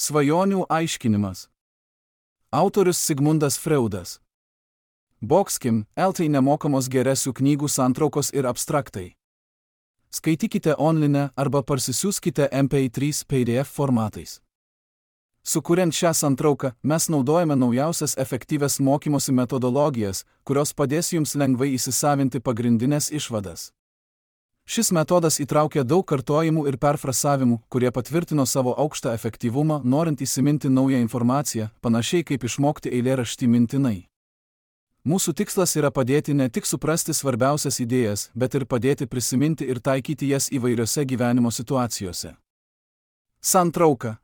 Svajonių aiškinimas. Autorius Sigmundas Freudas. Boxkim, LT nemokamos geresių knygų santraukos ir abstraktai. Skaitykite online arba parsisiųskite MP3 PDF formatais. Sukuriant šią santrauką, mes naudojame naujausias efektyvias mokymosi metodologijas, kurios padės jums lengvai įsisavinti pagrindinės išvadas. Šis metodas įtraukia daug kartojimų ir perfrasavimų, kurie patvirtino savo aukštą efektyvumą, norint įsiminti naują informaciją, panašiai kaip išmokti eilėraštį mintinai. Mūsų tikslas yra padėti ne tik suprasti svarbiausias idėjas, bet ir padėti prisiminti ir taikyti jas įvairiose gyvenimo situacijose. Santrauka.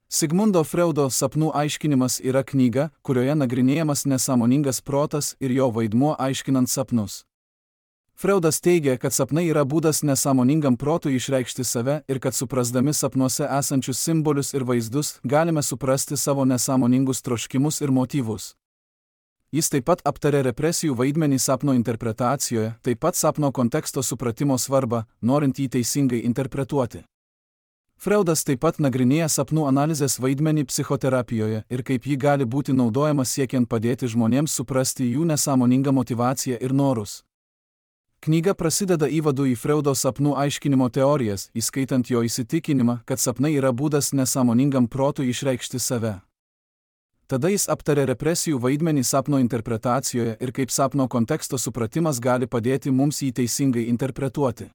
Sigmundo Freudo Sapnų aiškinimas yra knyga, kurioje nagrinėjamas nesąmoningas protas ir jo vaidmuo aiškinant sapnus. Freudas teigia, kad sapnai yra būdas nesąmoningam protui išreikšti save ir kad suprasdami sapnuose esančius simbolius ir vaizdus, galime suprasti savo nesąmoningus troškimus ir motyvus. Jis taip pat aptarė represijų vaidmenį sapno interpretacijoje, taip pat sapno konteksto supratimo svarbą, norint jį teisingai interpretuoti. Freudas taip pat nagrinėja sapnų analizės vaidmenį psichoterapijoje ir kaip ji gali būti naudojama siekiant padėti žmonėms suprasti jų nesąmoningą motyvaciją ir norus. Knyga prasideda įvadu į Freudo sapnų aiškinimo teorijas, įskaitant jo įsitikinimą, kad sapnai yra būdas nesąmoningam protui išreikšti save. Tada jis aptarė represijų vaidmenį sapno interpretacijoje ir kaip sapno konteksto supratimas gali padėti mums jį teisingai interpretuoti.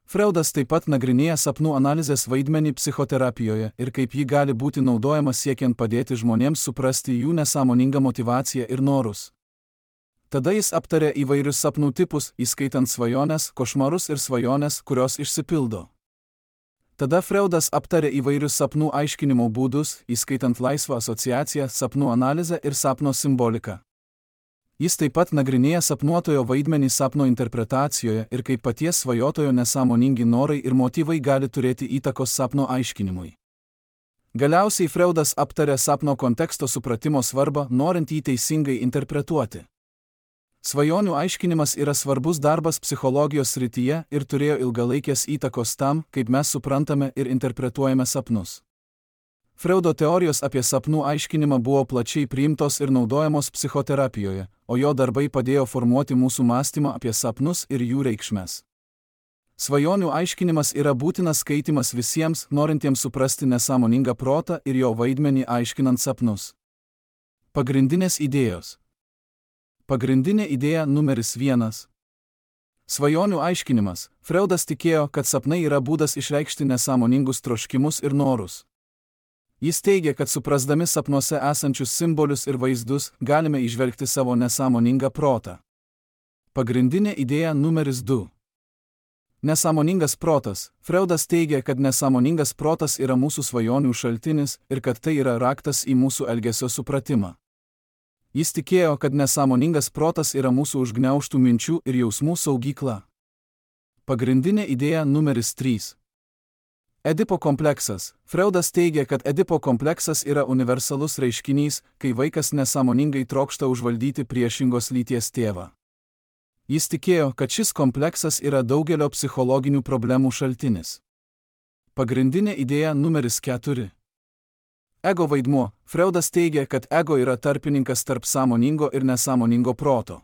Freudas taip pat nagrinėja sapnų analizės vaidmenį psichoterapijoje ir kaip ji gali būti naudojama siekiant padėti žmonėms suprasti jų nesąmoningą motyvaciją ir norus. Tada jis aptarė įvairius sapnų tipus, įskaitant svajones, košmarus ir svajones, kurios išsipildo. Tada Freudas aptarė įvairius sapnų aiškinimo būdus, įskaitant laisvą asociaciją, sapnų analizę ir sapno simboliką. Jis taip pat nagrinėja sapnuotojo vaidmenį sapno interpretacijoje ir kaip paties svajotojo nesąmoningi norai ir motyvai gali turėti įtakos sapno aiškinimui. Galiausiai Freudas aptarė sapno konteksto supratimo svarbą, norint jį teisingai interpretuoti. Svajonių aiškinimas yra svarbus darbas psichologijos srityje ir turėjo ilgalaikės įtakos tam, kaip mes suprantame ir interpretuojame sapnus. Freudo teorijos apie sapnų aiškinimą buvo plačiai priimtos ir naudojamos psichoterapijoje, o jo darbai padėjo formuoti mūsų mąstymą apie sapnus ir jų reikšmes. Svajonių aiškinimas yra būtinas skaitimas visiems, norintiems suprasti nesąmoningą protą ir jo vaidmenį aiškinant sapnus. Pagrindinės idėjos. Pagrindinė idėja numeris 1. Svajonių aiškinimas. Freudas tikėjo, kad sapnai yra būdas išreikšti nesąmoningus troškimus ir norus. Jis teigia, kad suprasdami sapnuose esančius simbolius ir vaizdus, galime įžvelgti savo nesąmoningą protą. Pagrindinė idėja numeris 2. Nesąmoningas protas. Freudas teigia, kad nesąmoningas protas yra mūsų svajonių šaltinis ir kad tai yra raktas į mūsų elgesio supratimą. Jis tikėjo, kad nesąmoningas protas yra mūsų užgniaužtų minčių ir jausmų saugykla. Pagrindinė idėja numeris 3. Edipo kompleksas. Freudas teigia, kad Edipo kompleksas yra universalus reiškinys, kai vaikas nesąmoningai trokšta užvaldyti priešingos lyties tėvą. Jis tikėjo, kad šis kompleksas yra daugelio psichologinių problemų šaltinis. Pagrindinė idėja numeris 4. Ego vaidmuo. Freudas teigia, kad ego yra tarpininkas tarp sąmoningo ir nesąmoningo proto.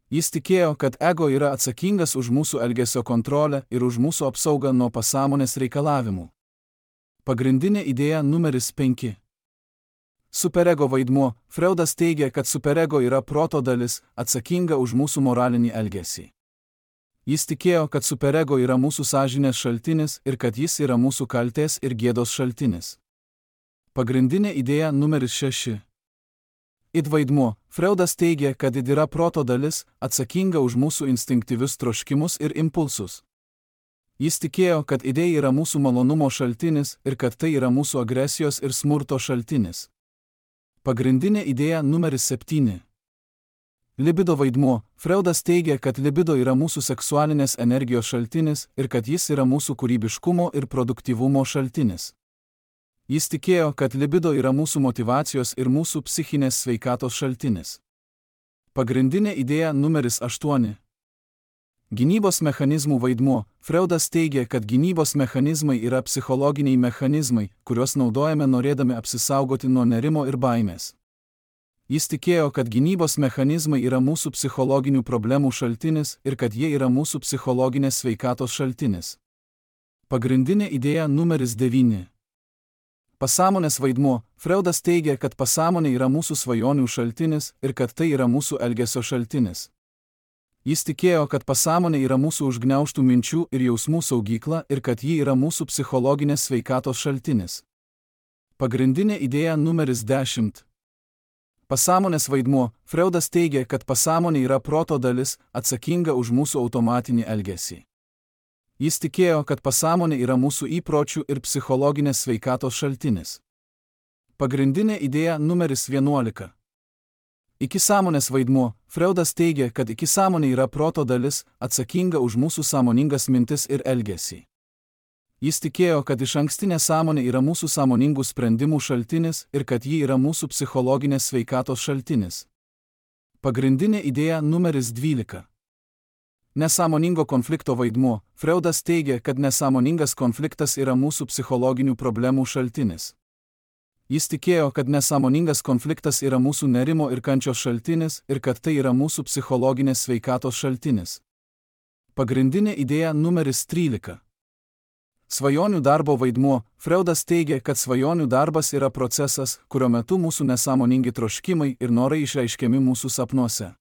Jis tikėjo, kad ego yra atsakingas už mūsų elgesio kontrolę ir už mūsų apsaugą nuo pasąmonės reikalavimų. Pagrindinė idėja numeris 5. Superego vaidmuo. Freudas teigia, kad superego yra proto dalis, atsakinga už mūsų moralinį elgesį. Jis tikėjo, kad superego yra mūsų sąžinės šaltinis ir kad jis yra mūsų kaltės ir gėdos šaltinis. Pagrindinė idėja numeris 6. Id vaidmuo. Freudas teigia, kad id yra proto dalis, atsakinga už mūsų instinktyvius troškimus ir impulsus. Jis tikėjo, kad idė yra mūsų malonumo šaltinis ir kad tai yra mūsų agresijos ir smurto šaltinis. Pagrindinė idėja numeris 7. Libido vaidmuo. Freudas teigia, kad libido yra mūsų seksualinės energijos šaltinis ir kad jis yra mūsų kūrybiškumo ir produktyvumo šaltinis. Jis tikėjo, kad libido yra mūsų motyvacijos ir mūsų psichinės sveikatos šaltinis. Pagrindinė idėja numeris 8. Gynybos mechanizmų vaidmuo. Freudas teigia, kad gynybos mechanizmai yra psichologiniai mechanizmai, kuriuos naudojame norėdami apsisaugoti nuo nerimo ir baimės. Jis tikėjo, kad gynybos mechanizmai yra mūsų psichologinių problemų šaltinis ir kad jie yra mūsų psichologinės sveikatos šaltinis. Pagrindinė idėja numeris 9. Pasąmonės vaidmuo. Freudas teigia, kad pasąmonė yra mūsų svajonių šaltinis ir kad tai yra mūsų elgesio šaltinis. Jis tikėjo, kad pasąmonė yra mūsų užgniaužtų minčių ir jausmų saugykla ir kad ji yra mūsų psichologinės sveikatos šaltinis. Pagrindinė idėja numeris 10. Pasąmonės vaidmuo. Freudas teigia, kad pasąmonė yra proto dalis, atsakinga už mūsų automatinį elgesį. Jis tikėjo, kad pasąmonė yra mūsų įpročių ir psichologinės sveikatos šaltinis. Pagrindinė idėja numeris 11. Įsisąmonės vaidmuo. Freudas teigia, kad įsisąmonė yra proto dalis, atsakinga už mūsų sąmoningas mintis ir elgesį. Jis tikėjo, kad išankstinė sąmonė yra mūsų sąmoningų sprendimų šaltinis ir kad ji yra mūsų psichologinės sveikatos šaltinis. Pagrindinė idėja numeris 12. Nesąmoningo konflikto vaidmuo. Freudas teigia, kad nesąmoningas konfliktas yra mūsų psichologinių problemų šaltinis. Jis tikėjo, kad nesąmoningas konfliktas yra mūsų nerimo ir kančios šaltinis ir kad tai yra mūsų psichologinės sveikatos šaltinis. Pagrindinė idėja numeris 13. Svajonių darbo vaidmuo. Freudas teigia, kad svajonių darbas yra procesas, kurio metu mūsų nesąmoningi troškimai ir norai išreiškiami mūsų sapnuose.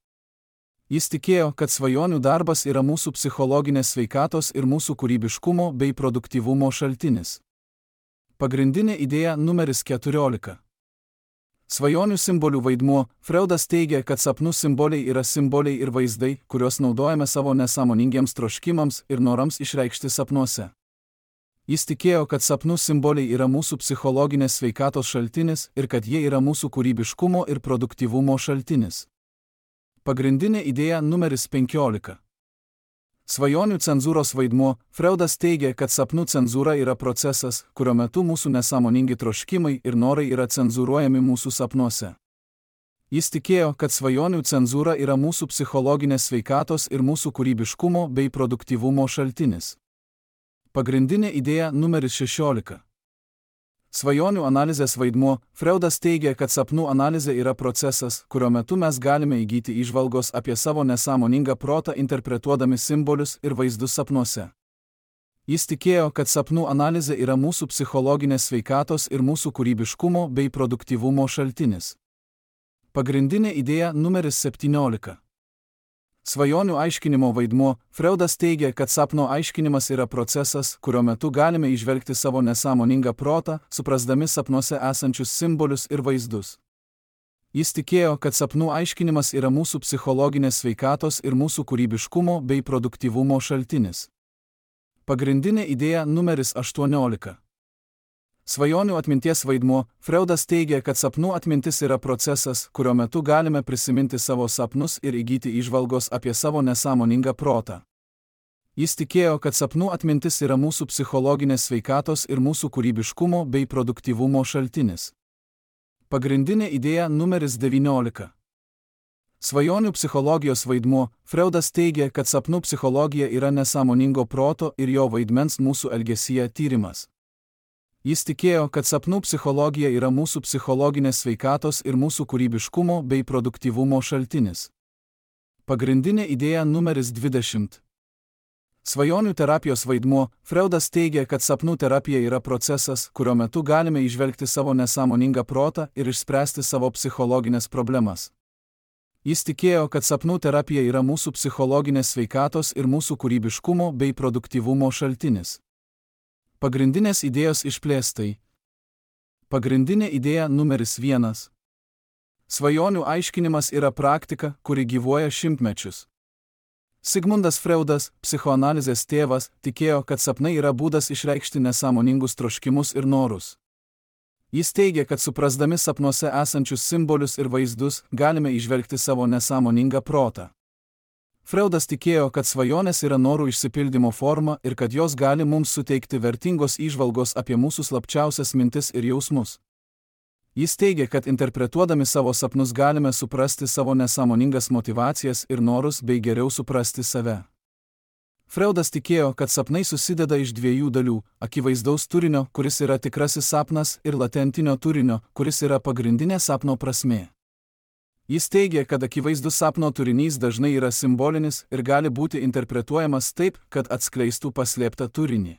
Jis tikėjo, kad svajonių darbas yra mūsų psichologinės sveikatos ir mūsų kūrybiškumo bei produktyvumo šaltinis. Pagrindinė idėja numeris 14. Svajonių simbolių vaidmuo. Freudas teigia, kad sapnų simboliai yra simboliai ir vaizdai, kuriuos naudojame savo nesąmoningiems troškimams ir norams išreikšti sapnuose. Jis tikėjo, kad sapnų simboliai yra mūsų psichologinės sveikatos šaltinis ir kad jie yra mūsų kūrybiškumo ir produktyvumo šaltinis. Pagrindinė idėja numeris 15. Svajonių cenzūros vaidmuo. Freudas teigia, kad sapnų cenzūra yra procesas, kurio metu mūsų nesąmoningi troškimai ir norai yra cenzūruojami mūsų sapnuose. Jis tikėjo, kad svajonių cenzūra yra mūsų psichologinės sveikatos ir mūsų kūrybiškumo bei produktyvumo šaltinis. Pagrindinė idėja numeris 16. Svajonių analizės vaidmuo. Freudas teigia, kad sapnų analizė yra procesas, kurio metu mes galime įgyti įžvalgos apie savo nesąmoningą protą interpretuodami simbolius ir vaizdus sapnuose. Jis tikėjo, kad sapnų analizė yra mūsų psichologinės sveikatos ir mūsų kūrybiškumo bei produktyvumo šaltinis. Pagrindinė idėja numeris 17. Svajonių aiškinimo vaidmuo. Freudas teigia, kad sapno aiškinimas yra procesas, kurio metu galime įžvelgti savo nesąmoningą protą, suprasdami sapnuose esančius simbolius ir vaizdus. Jis tikėjo, kad sapnų aiškinimas yra mūsų psichologinės sveikatos ir mūsų kūrybiškumo bei produktyvumo šaltinis. Pagrindinė idėja numeris 18. Svajonių atminties vaidmuo. Freudas teigia, kad sapnų atmintis yra procesas, kurio metu galime prisiminti savo sapnus ir įgyti įžvalgos apie savo nesąmoningą protą. Jis tikėjo, kad sapnų atmintis yra mūsų psichologinės sveikatos ir mūsų kūrybiškumo bei produktyvumo šaltinis. Pagrindinė idėja numeris 19. Svajonių psichologijos vaidmuo. Freudas teigia, kad sapnų psichologija yra nesąmoningo proto ir jo vaidmens mūsų elgesyje tyrimas. Jis tikėjo, kad sapnų psichologija yra mūsų psichologinės sveikatos ir mūsų kūrybiškumo bei produktyvumo šaltinis. Pagrindinė idėja numeris 20. Svajonių terapijos vaidmuo. Freudas teigia, kad sapnų terapija yra procesas, kurio metu galime įžvelgti savo nesąmoningą protą ir išspręsti savo psichologinės problemas. Jis tikėjo, kad sapnų terapija yra mūsų psichologinės sveikatos ir mūsų kūrybiškumo bei produktyvumo šaltinis. Pagrindinės idėjos išplėstai. Pagrindinė idėja numeris 1. Svajonių aiškinimas yra praktika, kuri gyvuoja šimtmečius. Sigmundas Freudas, psichoanalizės tėvas, tikėjo, kad sapnai yra būdas išreikšti nesąmoningus troškimus ir norus. Jis teigia, kad suprasdami sapnuose esančius simbolius ir vaizdus, galime įžvelgti savo nesąmoningą protą. Freudas tikėjo, kad svajonės yra norų išsipildymo forma ir kad jos gali mums suteikti vertingos įžvalgos apie mūsų slapčiausias mintis ir jausmus. Jis teigia, kad interpretuodami savo sapnus galime suprasti savo nesąmoningas motyvacijas ir norus bei geriau suprasti save. Freudas tikėjo, kad sapnai susideda iš dviejų dalių - akivaizdaus turinio, kuris yra tikrasis sapnas, ir latentinio turinio, kuris yra pagrindinė sapno prasmė. Jis teigė, kad akivaizdus sapno turinys dažnai yra simbolinis ir gali būti interpretuojamas taip, kad atskleistų paslėptą turinį.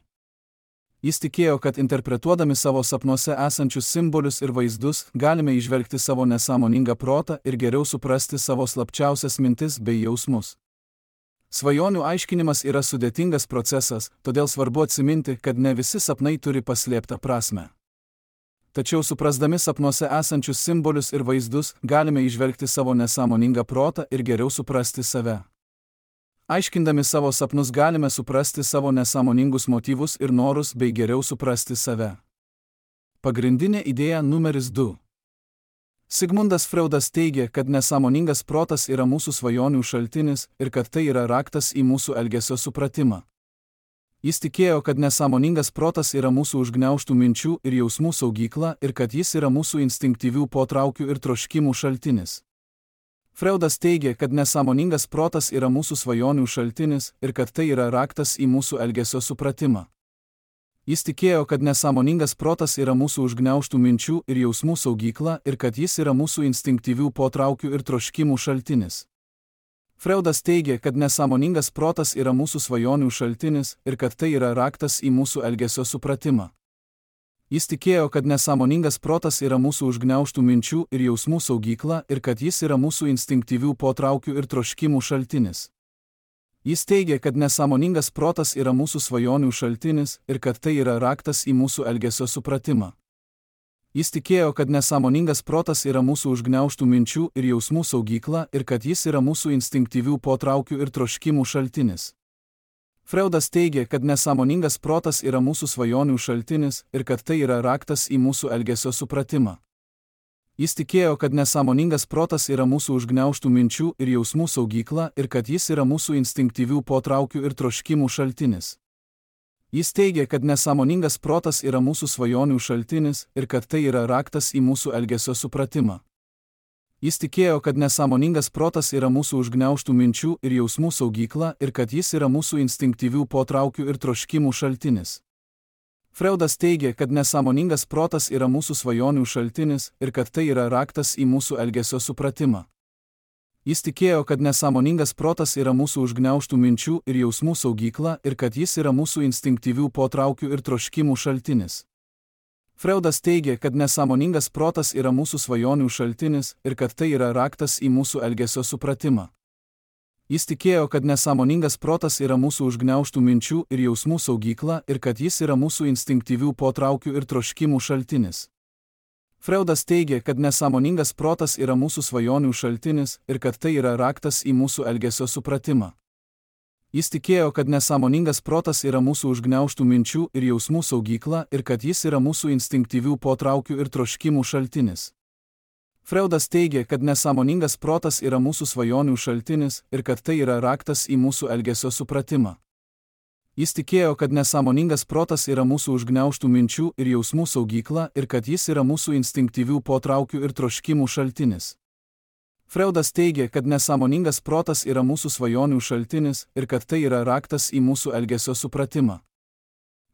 Jis tikėjo, kad interpretuodami savo sapnuose esančius simbolius ir vaizdus, galime įžvelgti savo nesąmoningą protą ir geriau suprasti savo slapčiausias mintis bei jausmus. Svajonių aiškinimas yra sudėtingas procesas, todėl svarbu atsiminti, kad ne visi sapnai turi paslėptą prasmę. Tačiau suprasdami sapnuose esančius simbolius ir vaizdus, galime įžvelgti savo nesąmoningą protą ir geriau suprasti save. Aiškindami savo sapnus galime suprasti savo nesąmoningus motyvus ir norus bei geriau suprasti save. Pagrindinė idėja numeris 2. Sigmundas Freudas teigė, kad nesąmoningas protas yra mūsų svajonių šaltinis ir kad tai yra raktas į mūsų elgesio supratimą. Jis tikėjo, kad nesąmoningas protas yra mūsų užgniaužtų minčių ir jausmų saugykla ir kad jis yra mūsų instinktyvių potraukių ir troškimų šaltinis. Freudas teigė, kad nesąmoningas protas yra mūsų svajonių šaltinis ir kad tai yra raktas į mūsų elgesio supratimą. Jis tikėjo, kad nesąmoningas protas yra mūsų užgniaužtų minčių ir jausmų saugykla ir kad jis yra mūsų instinktyvių potraukių ir troškimų šaltinis. Freudas teigė, kad nesąmoningas protas yra mūsų svajonių šaltinis ir kad tai yra raktas į mūsų elgesio supratimą. Jis tikėjo, kad nesąmoningas protas yra mūsų užgniaužtų minčių ir jausmų saugykla ir kad jis yra mūsų instinktyvių potraukių ir troškimų šaltinis. Jis teigė, kad nesąmoningas protas yra mūsų svajonių šaltinis ir kad tai yra raktas į mūsų elgesio supratimą. Jis tikėjo, kad nesąmoningas protas yra mūsų užgniaužtų minčių ir jausmų saugykla ir kad jis yra mūsų instinktyvių potraukių ir troškimų šaltinis. Freudas teigė, kad nesąmoningas protas yra mūsų svajonių šaltinis ir kad tai yra raktas į mūsų elgesio supratimą. Jis tikėjo, kad nesąmoningas protas yra mūsų užgniaužtų minčių ir jausmų saugykla ir kad jis yra mūsų instinktyvių potraukių ir troškimų šaltinis. Jis teigė, kad nesąmoningas protas yra mūsų svajonių šaltinis ir kad tai yra raktas į mūsų elgesio supratimą. Jis tikėjo, kad nesąmoningas protas yra mūsų užgniaužtų minčių ir jausmų saugykla ir kad jis yra mūsų instinktyvių potraukių ir troškimų šaltinis. Freudas teigė, kad nesąmoningas protas yra mūsų svajonių šaltinis ir kad tai yra raktas į mūsų elgesio supratimą. Jis tikėjo, kad nesąmoningas protas yra mūsų užgniaužtų minčių ir jausmų saugykla ir kad jis yra mūsų instinktyvių potraukių ir troškimų šaltinis. Freudas teigė, kad nesąmoningas protas yra mūsų svajonių šaltinis ir kad tai yra raktas į mūsų elgesio supratimą. Jis tikėjo, kad nesąmoningas protas yra mūsų užgniaužtų minčių ir jausmų saugykla ir kad jis yra mūsų instinktyvių potraukių ir troškimų šaltinis. Freudas teigė, kad nesąmoningas protas yra mūsų svajonių šaltinis ir kad tai yra raktas į mūsų elgesio supratimą. Jis tikėjo, kad nesąmoningas protas yra mūsų užgniaužtų minčių ir jausmų saugykla ir kad jis yra mūsų instinktyvių potraukių ir troškimų šaltinis. Freudas teigė, kad nesąmoningas protas yra mūsų svajonių šaltinis ir kad tai yra raktas į mūsų elgesio supratimą. Jis tikėjo, kad nesąmoningas protas yra mūsų užgniaužtų minčių ir jausmų saugykla ir kad jis yra mūsų instinktyvių potraukių ir troškimų šaltinis. Freudas teigė, kad nesąmoningas protas yra mūsų svajonių šaltinis ir kad tai yra raktas į mūsų elgesio supratimą.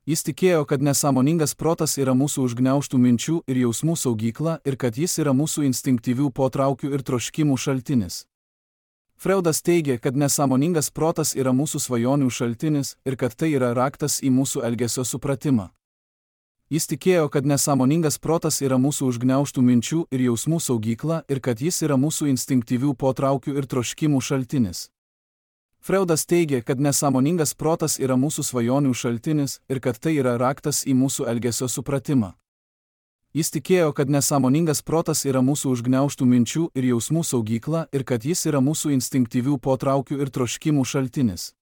Jis tikėjo, kad nesąmoningas protas yra mūsų užgniaužtų minčių ir jausmų saugykla ir kad jis yra mūsų instinktyvių potraukių ir troškimų šaltinis. Freudas teigė, kad nesąmoningas protas yra mūsų svajonių šaltinis ir kad tai yra raktas į mūsų elgesio supratimą. Jis tikėjo, kad nesąmoningas protas yra mūsų užgniaužtų minčių ir jausmų saugykla ir kad jis yra mūsų instinktyvių potraukių ir troškimų šaltinis. Freudas teigė, kad nesąmoningas protas yra mūsų svajonių šaltinis ir kad tai yra raktas į mūsų elgesio supratimą. Jis tikėjo, kad nesąmoningas protas yra mūsų užgniaužtų minčių ir jausmų saugykla ir kad jis yra mūsų instinktyvių potraukių ir troškimų šaltinis.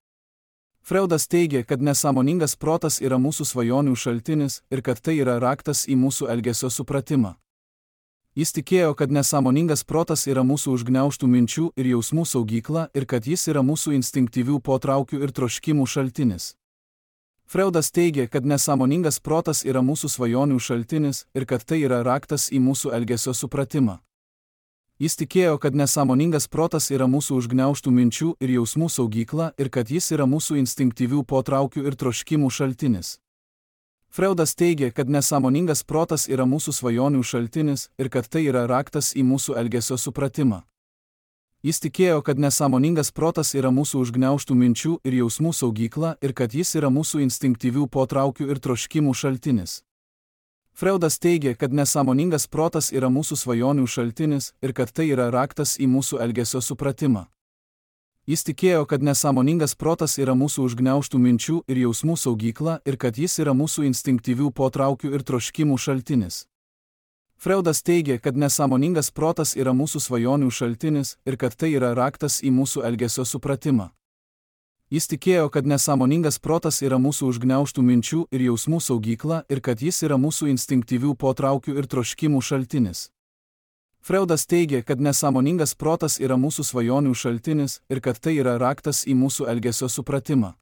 Freudas teigė, kad nesąmoningas protas yra mūsų svajonių šaltinis ir kad tai yra raktas į mūsų elgesio supratimą. Jis tikėjo, kad nesąmoningas protas yra mūsų užgniaužtų minčių ir jausmų saugykla ir kad jis yra mūsų instinktyvių potraukių ir troškimų šaltinis. Freudas teigė, kad nesąmoningas protas yra mūsų svajonių šaltinis ir kad tai yra raktas į mūsų elgesio supratimą. Jis tikėjo, kad nesąmoningas protas yra mūsų užgniaužtų minčių ir jausmų saugykla ir kad jis yra mūsų instinktyvių potraukių ir troškimų šaltinis. Freudas teigė, kad nesąmoningas protas yra mūsų svajonių šaltinis ir kad tai yra raktas į mūsų elgesio supratimą. Jis tikėjo, kad nesąmoningas protas yra mūsų užgniaužtų minčių ir jausmų saugykla ir kad jis yra mūsų instinktyvių potraukių ir troškimų šaltinis. Freudas teigė, kad nesąmoningas protas yra mūsų svajonių šaltinis ir kad tai yra raktas į mūsų elgesio supratimą. Jis tikėjo, kad nesąmoningas protas yra mūsų užgniaužtų minčių ir jausmų saugykla ir kad jis yra mūsų instinktyvių potraukių ir troškimų šaltinis. Freudas teigė, kad nesąmoningas protas yra mūsų svajonių šaltinis ir kad tai yra raktas į mūsų elgesio supratimą. Jis tikėjo, kad nesąmoningas protas yra mūsų užgniaužtų minčių ir jausmų saugykla ir kad jis yra mūsų instinktyvių potraukių ir troškimų šaltinis. Freudas teigė, kad nesąmoningas protas yra mūsų svajonių šaltinis ir kad tai yra raktas į mūsų elgesio supratimą.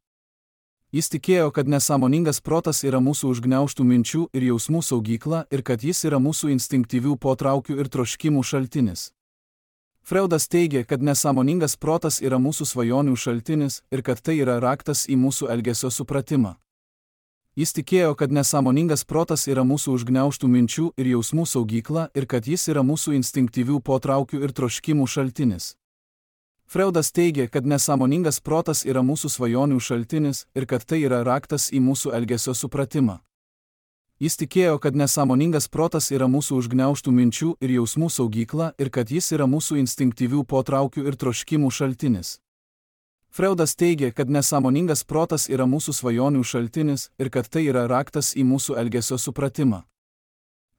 Jis tikėjo, kad nesąmoningas protas yra mūsų užgniaužtų minčių ir jausmų saugykla ir kad jis yra mūsų instinktyvių potraukių ir troškimų šaltinis. Freudas teigė, kad nesąmoningas protas yra mūsų svajonių šaltinis ir kad tai yra raktas į mūsų elgesio supratimą. Jis tikėjo, kad nesąmoningas protas yra mūsų užgniaužtų minčių ir jausmų saugykla ir kad jis yra mūsų instinktyvių potraukių ir troškimų šaltinis. Freudas teigė, kad nesąmoningas protas yra mūsų svajonių šaltinis ir kad tai yra raktas į mūsų elgesio supratimą. Jis tikėjo, kad nesąmoningas protas yra mūsų užgniaužtų minčių ir jausmų saugykla ir kad jis yra mūsų instinktyvių potraukių ir troškimų šaltinis. Freudas teigė, kad nesąmoningas protas yra mūsų svajonių šaltinis ir kad tai yra raktas į mūsų elgesio supratimą.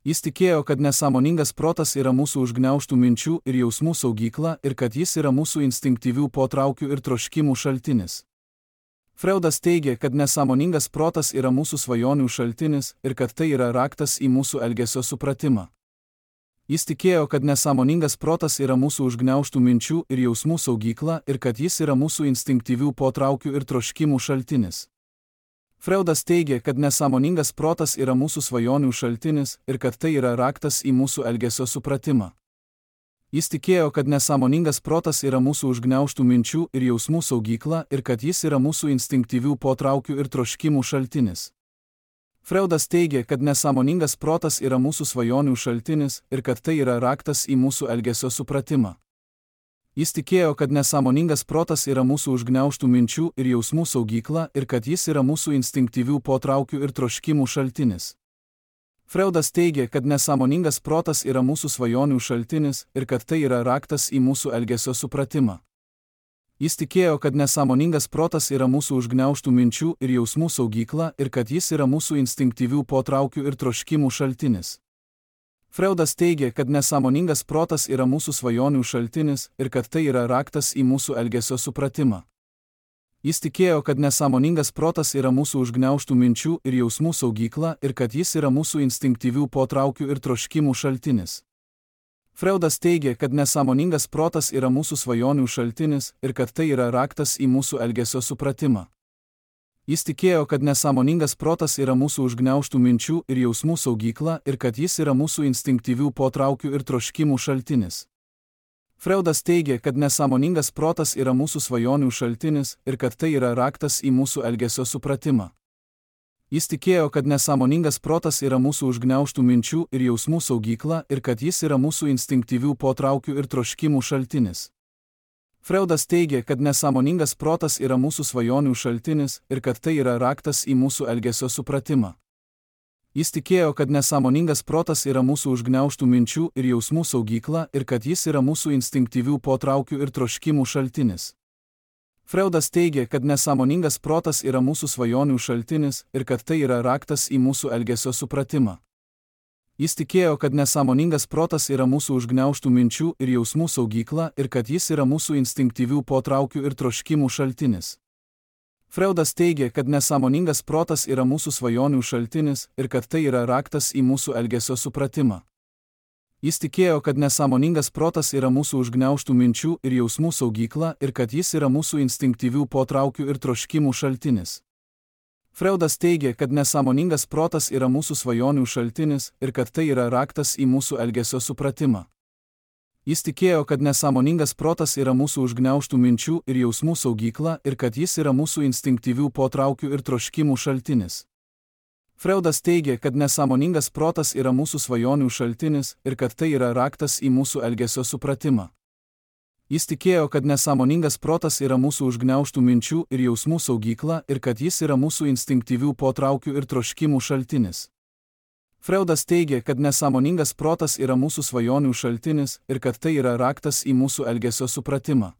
Jis tikėjo, kad nesąmoningas protas yra mūsų užgniaužtų minčių ir jausmų saugykla ir kad jis yra mūsų instinktyvių potraukių ir troškimų šaltinis. Freudas teigė, kad nesąmoningas protas yra mūsų svajonių šaltinis ir kad tai yra raktas į mūsų elgesio supratimą. Jis tikėjo, kad nesąmoningas protas yra mūsų užgniaužtų minčių ir jausmų saugykla ir kad jis yra mūsų instinktyvių potraukių ir troškimų šaltinis. Freudas teigė, kad nesąmoningas protas yra mūsų svajonių šaltinis ir kad tai yra raktas į mūsų elgesio supratimą. Jis tikėjo, kad nesąmoningas protas yra mūsų užgniaužtų minčių ir jausmų saugykla ir kad jis yra mūsų instinktyvių potraukių ir troškimų šaltinis. Freudas teigė, kad nesąmoningas protas yra mūsų svajonių šaltinis ir kad tai yra raktas į mūsų elgesio supratimą. Jis tikėjo, kad nesąmoningas protas yra mūsų užgniaužtų minčių ir jausmų saugykla ir kad jis yra mūsų instinktyvių potraukių ir troškimų šaltinis. Freudas teigė, kad nesąmoningas protas yra mūsų svajonių šaltinis ir kad tai yra raktas į mūsų elgesio supratimą. Jis tikėjo, kad nesąmoningas protas yra mūsų užgniaužtų minčių ir jausmų saugykla ir kad jis yra mūsų instinktyvių potraukių ir troškimų šaltinis. Freudas teigė, kad nesąmoningas protas yra mūsų svajonių šaltinis ir kad tai yra raktas į mūsų elgesio supratimą. Jis tikėjo, kad nesąmoningas protas yra mūsų užgniaužtų minčių ir jausmų saugykla ir kad jis yra mūsų instinktyvių potraukių ir troškimų šaltinis. Freudas teigė, kad nesąmoningas protas yra mūsų svajonių šaltinis ir kad tai yra raktas į mūsų elgesio supratimą. Jis tikėjo, kad nesąmoningas protas yra mūsų užgniaužtų minčių ir jausmų saugykla ir kad jis yra mūsų instinktyvių potraukių ir troškimų šaltinis. Freudas teigė, kad nesąmoningas protas yra mūsų svajonių šaltinis ir kad tai yra raktas į mūsų elgesio supratimą. Jis tikėjo, kad nesąmoningas protas yra mūsų užgniaužtų minčių ir jausmų saugykla ir kad jis yra mūsų instinktyvių potraukių ir troškimų šaltinis. Freudas teigė, kad nesąmoningas protas yra mūsų svajonių šaltinis ir kad tai yra raktas į mūsų elgesio supratimą. Jis tikėjo, kad nesąmoningas protas yra mūsų užgniaužtų minčių ir jausmų saugykla ir kad jis yra mūsų instinktyvių potraukių ir troškimų šaltinis. Freudas teigė, kad nesąmoningas protas yra mūsų svajonių šaltinis ir kad tai yra raktas į mūsų elgesio supratimą. Jis tikėjo, kad nesąmoningas protas yra mūsų užgniaužtų minčių ir jausmų saugykla ir kad jis yra mūsų instinktyvių potraukių ir troškimų šaltinis. Freudas teigė, kad nesąmoningas protas yra mūsų svajonių šaltinis ir kad tai yra raktas į mūsų elgesio supratimą. Jis tikėjo, kad nesąmoningas protas yra mūsų užgniaužtų minčių ir jausmų saugykla ir kad jis yra mūsų instinktyvių potraukių ir troškimų šaltinis. Freudas teigė, kad nesąmoningas protas yra mūsų svajonių šaltinis ir kad tai yra raktas į mūsų elgesio supratimą. Jis tikėjo, kad nesąmoningas protas yra mūsų užgniaužtų minčių ir jausmų saugykla ir kad jis yra mūsų instinktyvių potraukių ir troškimų šaltinis. Freudas teigė, kad nesąmoningas protas yra mūsų svajonių šaltinis ir kad tai yra raktas į mūsų elgesio supratimą. Jis tikėjo, kad nesąmoningas protas yra mūsų užgniaužtų minčių ir jausmų saugykla ir kad jis yra mūsų instinktyvių potraukių ir troškimų šaltinis. Freudas teigė, kad nesąmoningas protas yra mūsų svajonių šaltinis ir kad tai yra raktas į mūsų elgesio supratimą.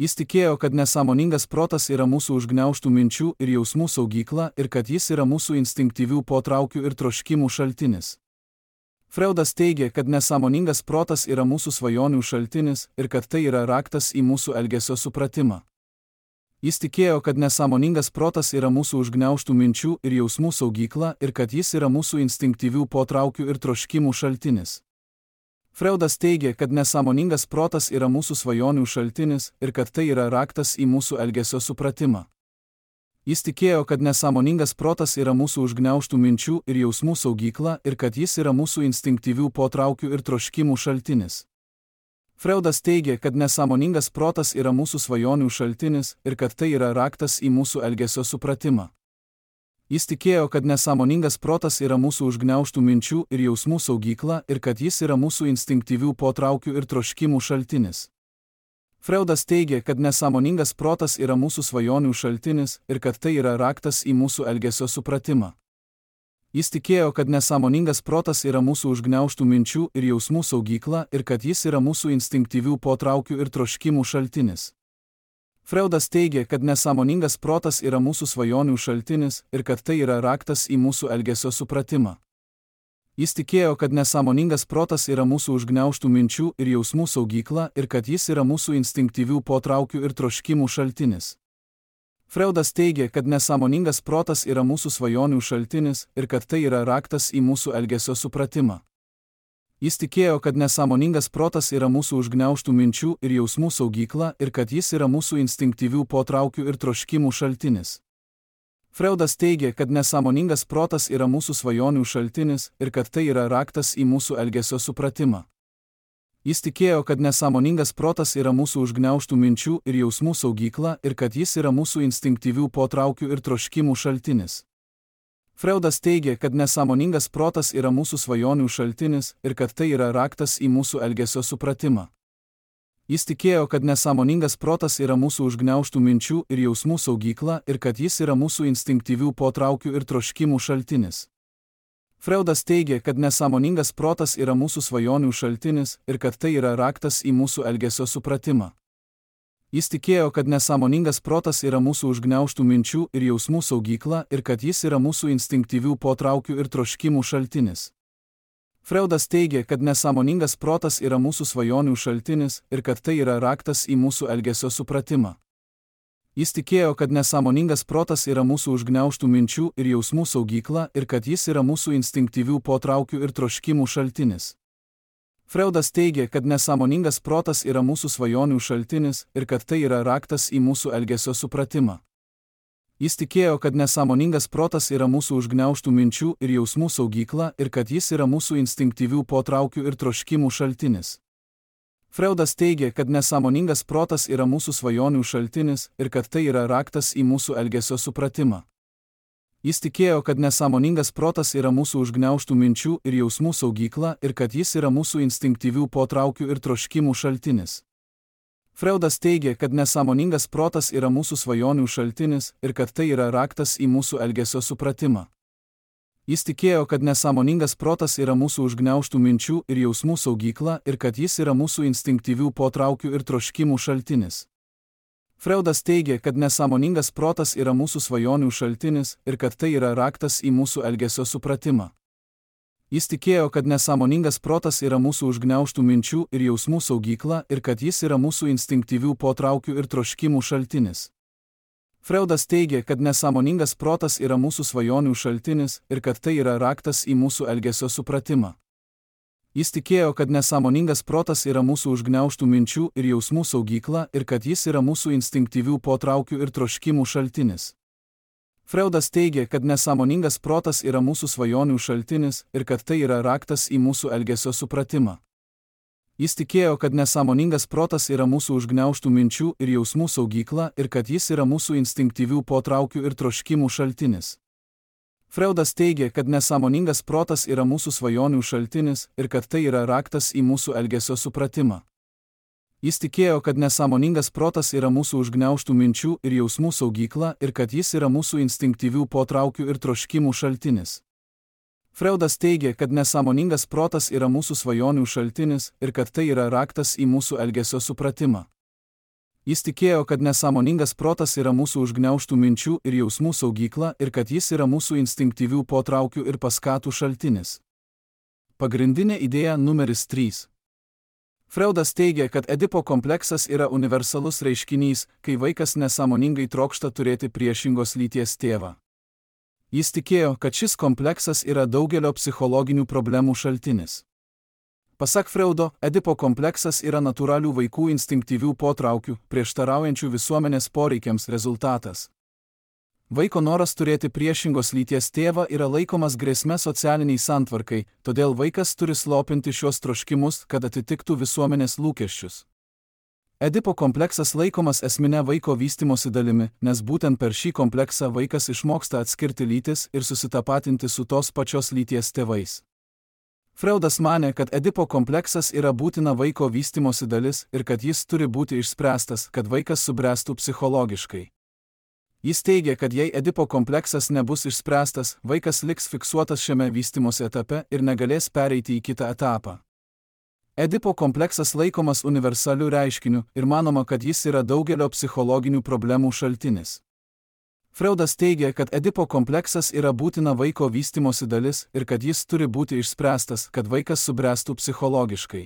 Jis tikėjo, kad nesąmoningas protas yra mūsų užgniaužtų minčių ir jausmų saugykla ir kad jis yra mūsų instinktyvių potraukių ir troškimų šaltinis. Freudas teigė, kad nesąmoningas protas yra mūsų svajonių šaltinis ir kad tai yra raktas į mūsų elgesio supratimą. Jis tikėjo, kad nesąmoningas protas yra mūsų užgniaužtų minčių ir jausmų saugykla ir kad jis yra mūsų instinktyvių potraukių ir troškimų šaltinis. Freudas teigė, kad nesąmoningas protas yra mūsų svajonių šaltinis ir kad tai yra raktas į mūsų elgesio supratimą. Jis tikėjo, kad nesąmoningas protas yra mūsų užgniaužtų minčių ir jausmų saugykla ir kad jis yra mūsų instinktyvių potraukių ir troškimų šaltinis. Freudas teigė, kad nesąmoningas protas yra mūsų svajonių šaltinis ir kad tai yra raktas į mūsų elgesio supratimą. Jis tikėjo, kad nesąmoningas protas yra mūsų užgniaužtų minčių ir jausmų saugykla ir kad jis yra mūsų instinktyvių potraukių ir troškimų šaltinis. Freudas teigė, kad nesąmoningas protas yra mūsų svajonių šaltinis ir kad tai yra raktas į mūsų elgesio supratimą. Jis tikėjo, kad nesąmoningas protas yra mūsų užgniaužtų minčių ir jausmų saugykla ir kad jis yra mūsų instinktyvių potraukių ir troškimų šaltinis. Freudas teigė, kad nesąmoningas protas yra mūsų svajonių šaltinis ir kad tai yra raktas į mūsų elgesio supratimą. Jis tikėjo, kad nesąmoningas protas yra mūsų užgniaužtų minčių ir jausmų saugykla ir kad jis yra mūsų instinktyvių potraukių ir troškimų šaltinis. Freudas teigė, kad nesąmoningas protas yra mūsų svajonių šaltinis ir kad tai yra raktas į mūsų elgesio supratimą. Jis tikėjo, kad nesąmoningas protas yra mūsų užgniaužtų minčių ir jausmų saugykla ir kad jis yra mūsų instinktyvių potraukių ir troškimų šaltinis. Freudas teigė, kad nesąmoningas protas yra mūsų svajonių šaltinis ir kad tai yra raktas į mūsų elgesio supratimą. Jis tikėjo, kad nesąmoningas protas yra mūsų užgniaužtų minčių ir jausmų saugykla ir kad jis yra mūsų instinktyvių potraukių ir troškimų šaltinis. Freudas teigė, kad nesąmoningas protas yra mūsų svajonių šaltinis ir kad tai yra raktas į mūsų elgesio supratimą. Jis tikėjo, kad nesąmoningas protas yra mūsų užgniaužtų minčių ir jausmų saugykla ir kad jis yra mūsų instinktyvių potraukių ir troškimų šaltinis. Freudas teigė, kad nesąmoningas protas yra mūsų svajonių šaltinis ir kad tai yra raktas į mūsų elgesio supratimą. Jis tikėjo, kad nesąmoningas protas yra mūsų užgniaužtų minčių ir jausmų saugykla ir kad jis yra mūsų instinktyvių potraukių ir troškimų šaltinis. Freudas teigė, kad nesąmoningas protas yra mūsų svajonių šaltinis ir kad tai yra raktas į mūsų elgesio supratimą. Jis tikėjo, kad nesąmoningas protas yra mūsų užgniaužtų minčių ir jausmų saugykla ir kad jis yra mūsų instinktyvių potraukių ir troškimų šaltinis. Freudas teigė, kad nesąmoningas protas yra mūsų svajonių šaltinis ir kad tai yra raktas į mūsų elgesio supratimą. Jis tikėjo, kad nesąmoningas protas yra mūsų užgniaužtų minčių ir jausmų saugykla ir kad jis yra mūsų instinktyvių potraukių ir troškimų šaltinis. Freudas teigė, kad nesąmoningas protas yra mūsų svajonių šaltinis ir kad tai yra raktas į mūsų elgesio supratimą. Jis tikėjo, kad nesąmoningas protas yra mūsų užgniaužtų minčių ir jausmų saugykla ir kad jis yra mūsų instinktyvių potraukių ir troškimų šaltinis. Freudas teigė, kad nesąmoningas protas yra mūsų svajonių šaltinis ir kad tai yra raktas į mūsų elgesio supratimą. Jis tikėjo, kad nesąmoningas protas yra mūsų užgniaužtų minčių ir jausmų saugykla ir kad jis yra mūsų instinktyvių potraukių ir troškimų šaltinis. Freudas teigė, kad nesąmoningas protas yra mūsų svajonių šaltinis ir kad tai yra raktas į mūsų elgesio supratimą. Jis tikėjo, kad nesąmoningas protas yra mūsų užgniaužtų minčių ir jausmų saugykla ir kad jis yra mūsų instinktyvių potraukių ir troškimų šaltinis. Freudas teigė, kad nesąmoningas protas yra mūsų svajonių šaltinis ir kad tai yra raktas į mūsų elgesio supratimą. Jis tikėjo, kad nesąmoningas protas yra mūsų užgniaužtų minčių ir jausmų saugykla ir kad jis yra mūsų instinktyvių potraukių ir troškimų šaltinis. Freudas teigė, kad nesąmoningas protas yra mūsų svajonių šaltinis ir kad tai yra raktas į mūsų elgesio supratimą. Jis tikėjo, kad nesąmoningas protas yra mūsų užgniaužtų minčių ir jausmų saugykla ir kad jis yra mūsų instinktyvių potraukių ir troškimų šaltinis. Freudas teigė, kad nesąmoningas protas yra mūsų svajonių šaltinis ir kad tai yra raktas į mūsų elgesio supratimą. Jis tikėjo, kad nesąmoningas protas yra mūsų užgniaužtų minčių ir jausmų saugykla ir kad jis yra mūsų instinktyvių potraukių ir troškimų šaltinis. Freudas teigė, kad nesąmoningas protas yra mūsų svajonių šaltinis ir kad tai yra raktas į mūsų elgesio supratimą. Jis tikėjo, kad nesąmoningas protas yra mūsų užgniaužtų minčių ir jausmų saugykla ir kad jis yra mūsų instinktyvių potraukių ir paskatų šaltinis. Pagrindinė idėja numeris 3. Freudas teigė, kad Edipo kompleksas yra universalus reiškinys, kai vaikas nesąmoningai trokšta turėti priešingos lyties tėvą. Jis tikėjo, kad šis kompleksas yra daugelio psichologinių problemų šaltinis. Pasak Freudo, Edipo kompleksas yra natūralių vaikų instinktyvių potraukių, prieštaraujančių visuomenės poreikiams rezultatas. Vaiko noras turėti priešingos lyties tėvą yra laikomas grėsme socialiniai santvarkai, todėl vaikas turi slopinti šios troškimus, kad atitiktų visuomenės lūkesčius. Edipo kompleksas laikomas esmine vaiko vystymosi dalimi, nes būtent per šį kompleksą vaikas išmoksta atskirti lytis ir susitapatinti su tos pačios lyties tėvais. Freudas manė, kad Edipo kompleksas yra būtina vaiko vystymosi dalis ir kad jis turi būti išspręstas, kad vaikas subręstų psichologiškai. Jis teigė, kad jei Edipo kompleksas nebus išspręstas, vaikas liks fiksuotas šiame vystymosi etape ir negalės pereiti į kitą etapą. Edipo kompleksas laikomas universaliu reiškiniu ir manoma, kad jis yra daugelio psichologinių problemų šaltinis. Freudas teigė, kad Edipo kompleksas yra būtina vaiko vystymosi dalis ir kad jis turi būti išspręstas, kad vaikas subręstų psichologiškai.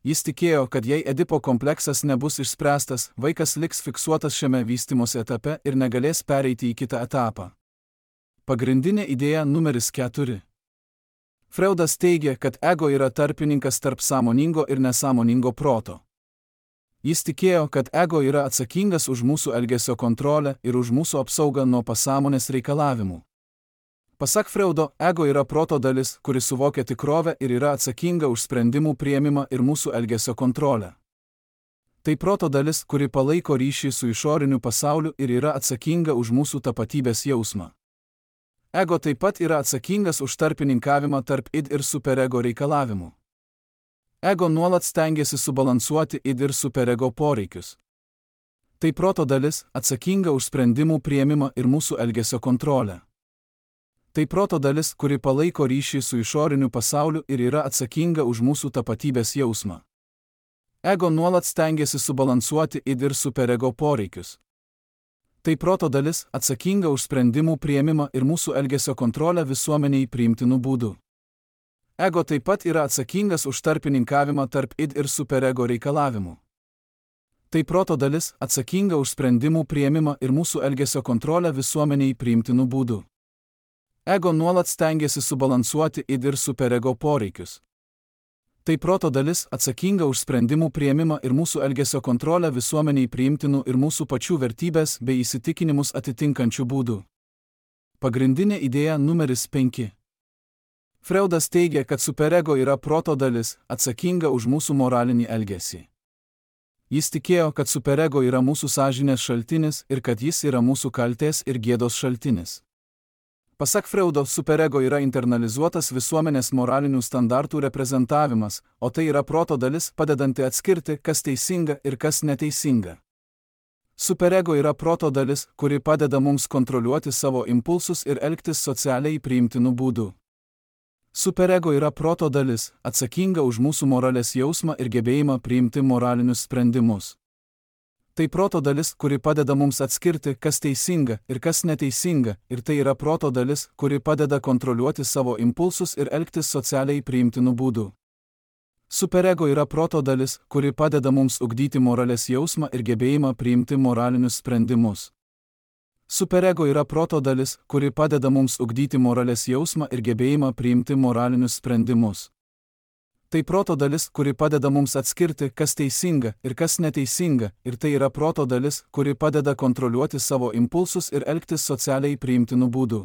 Jis tikėjo, kad jei Edipo kompleksas nebus išspręstas, vaikas liks fiksuotas šiame vystymosi etape ir negalės pereiti į kitą etapą. Pagrindinė idėja numeris 4. Freudas teigė, kad ego yra tarpininkas tarp sąmoningo ir nesąmoningo proto. Jis tikėjo, kad ego yra atsakingas už mūsų elgesio kontrolę ir už mūsų apsaugą nuo pasąmonės reikalavimų. Pasak Freudo, ego yra proto dalis, kuri suvokia tikrovę ir yra atsakinga už sprendimų priėmimą ir mūsų elgesio kontrolę. Tai proto dalis, kuri palaiko ryšį su išoriniu pasauliu ir yra atsakinga už mūsų tapatybės jausmą. Ego taip pat yra atsakingas už tarpininkavimą tarp id ir superego reikalavimų. Ego nuolat stengiasi subalansuoti id ir superego poreikius. Tai proto dalis, atsakinga už sprendimų priėmimą ir mūsų elgesio kontrolę. Tai proto dalis, kuri palaiko ryšį su išoriniu pasauliu ir yra atsakinga už mūsų tapatybės jausmą. Ego nuolat stengiasi subalansuoti id ir superego poreikius. Tai proto dalis, atsakinga už sprendimų priėmimą ir mūsų elgesio kontrolę visuomeniai priimtinų būdų. Ego taip pat yra atsakingas už tarpininkavimą tarp id ir superego reikalavimų. Tai proto dalis, atsakinga už sprendimų priėmimą ir mūsų elgesio kontrolę visuomeniai priimtinų būdų. Ego nuolat stengiasi subalansuoti id ir superego poreikius. Tai proto dalis, atsakinga už sprendimų priėmimą ir mūsų elgesio kontrolę visuomeniai priimtinų ir mūsų pačių vertybės bei įsitikinimus atitinkančių būdų. Pagrindinė idėja numeris 5. Freudas teigė, kad superego yra proto dalis, atsakinga už mūsų moralinį elgesį. Jis tikėjo, kad superego yra mūsų sąžinės šaltinis ir kad jis yra mūsų kaltės ir gėdos šaltinis. Pasak Freudo, superego yra internalizuotas visuomenės moralinių standartų reprezentavimas, o tai yra proto dalis, padedanti atskirti, kas teisinga ir kas neteisinga. Superego yra proto dalis, kuri padeda mums kontroliuoti savo impulsus ir elgtis socialiai priimtinų būdų. Superego yra proto dalis, atsakinga už mūsų moralės jausmą ir gebėjimą priimti moralinius sprendimus. Tai proto dalis, kuri padeda mums atskirti, kas teisinga ir kas neteisinga, ir tai yra proto dalis, kuri padeda kontroliuoti savo impulsus ir elgtis socialiai priimtinų būdų. Superego yra proto dalis, kuri padeda mums ugdyti moralės jausmą ir gebėjimą priimti moralinius sprendimus. Superego yra proto dalis, kuri padeda mums ugdyti moralės jausmą ir gebėjimą priimti moralinius sprendimus. Tai proto dalis, kuri padeda mums atskirti, kas teisinga ir kas neteisinga, ir tai yra proto dalis, kuri padeda kontroliuoti savo impulsus ir elgtis socialiai priimtinų būdų.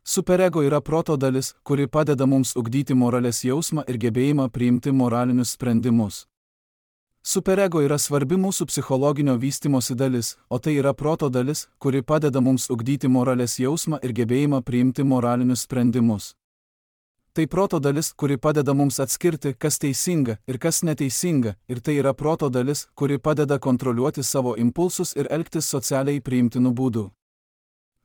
Superego yra proto dalis, kuri padeda mums ugdyti moralės jausmą ir gebėjimą priimti moralinius sprendimus. Superego yra svarbi mūsų psichologinio vystymosi dalis, o tai yra proto dalis, kuri padeda mums ugdyti moralės jausmą ir gebėjimą priimti moralinius sprendimus. Tai proto dalis, kuri padeda mums atskirti, kas teisinga ir kas neteisinga, ir tai yra proto dalis, kuri padeda kontroliuoti savo impulsus ir elgtis socialiai priimtinų būdų.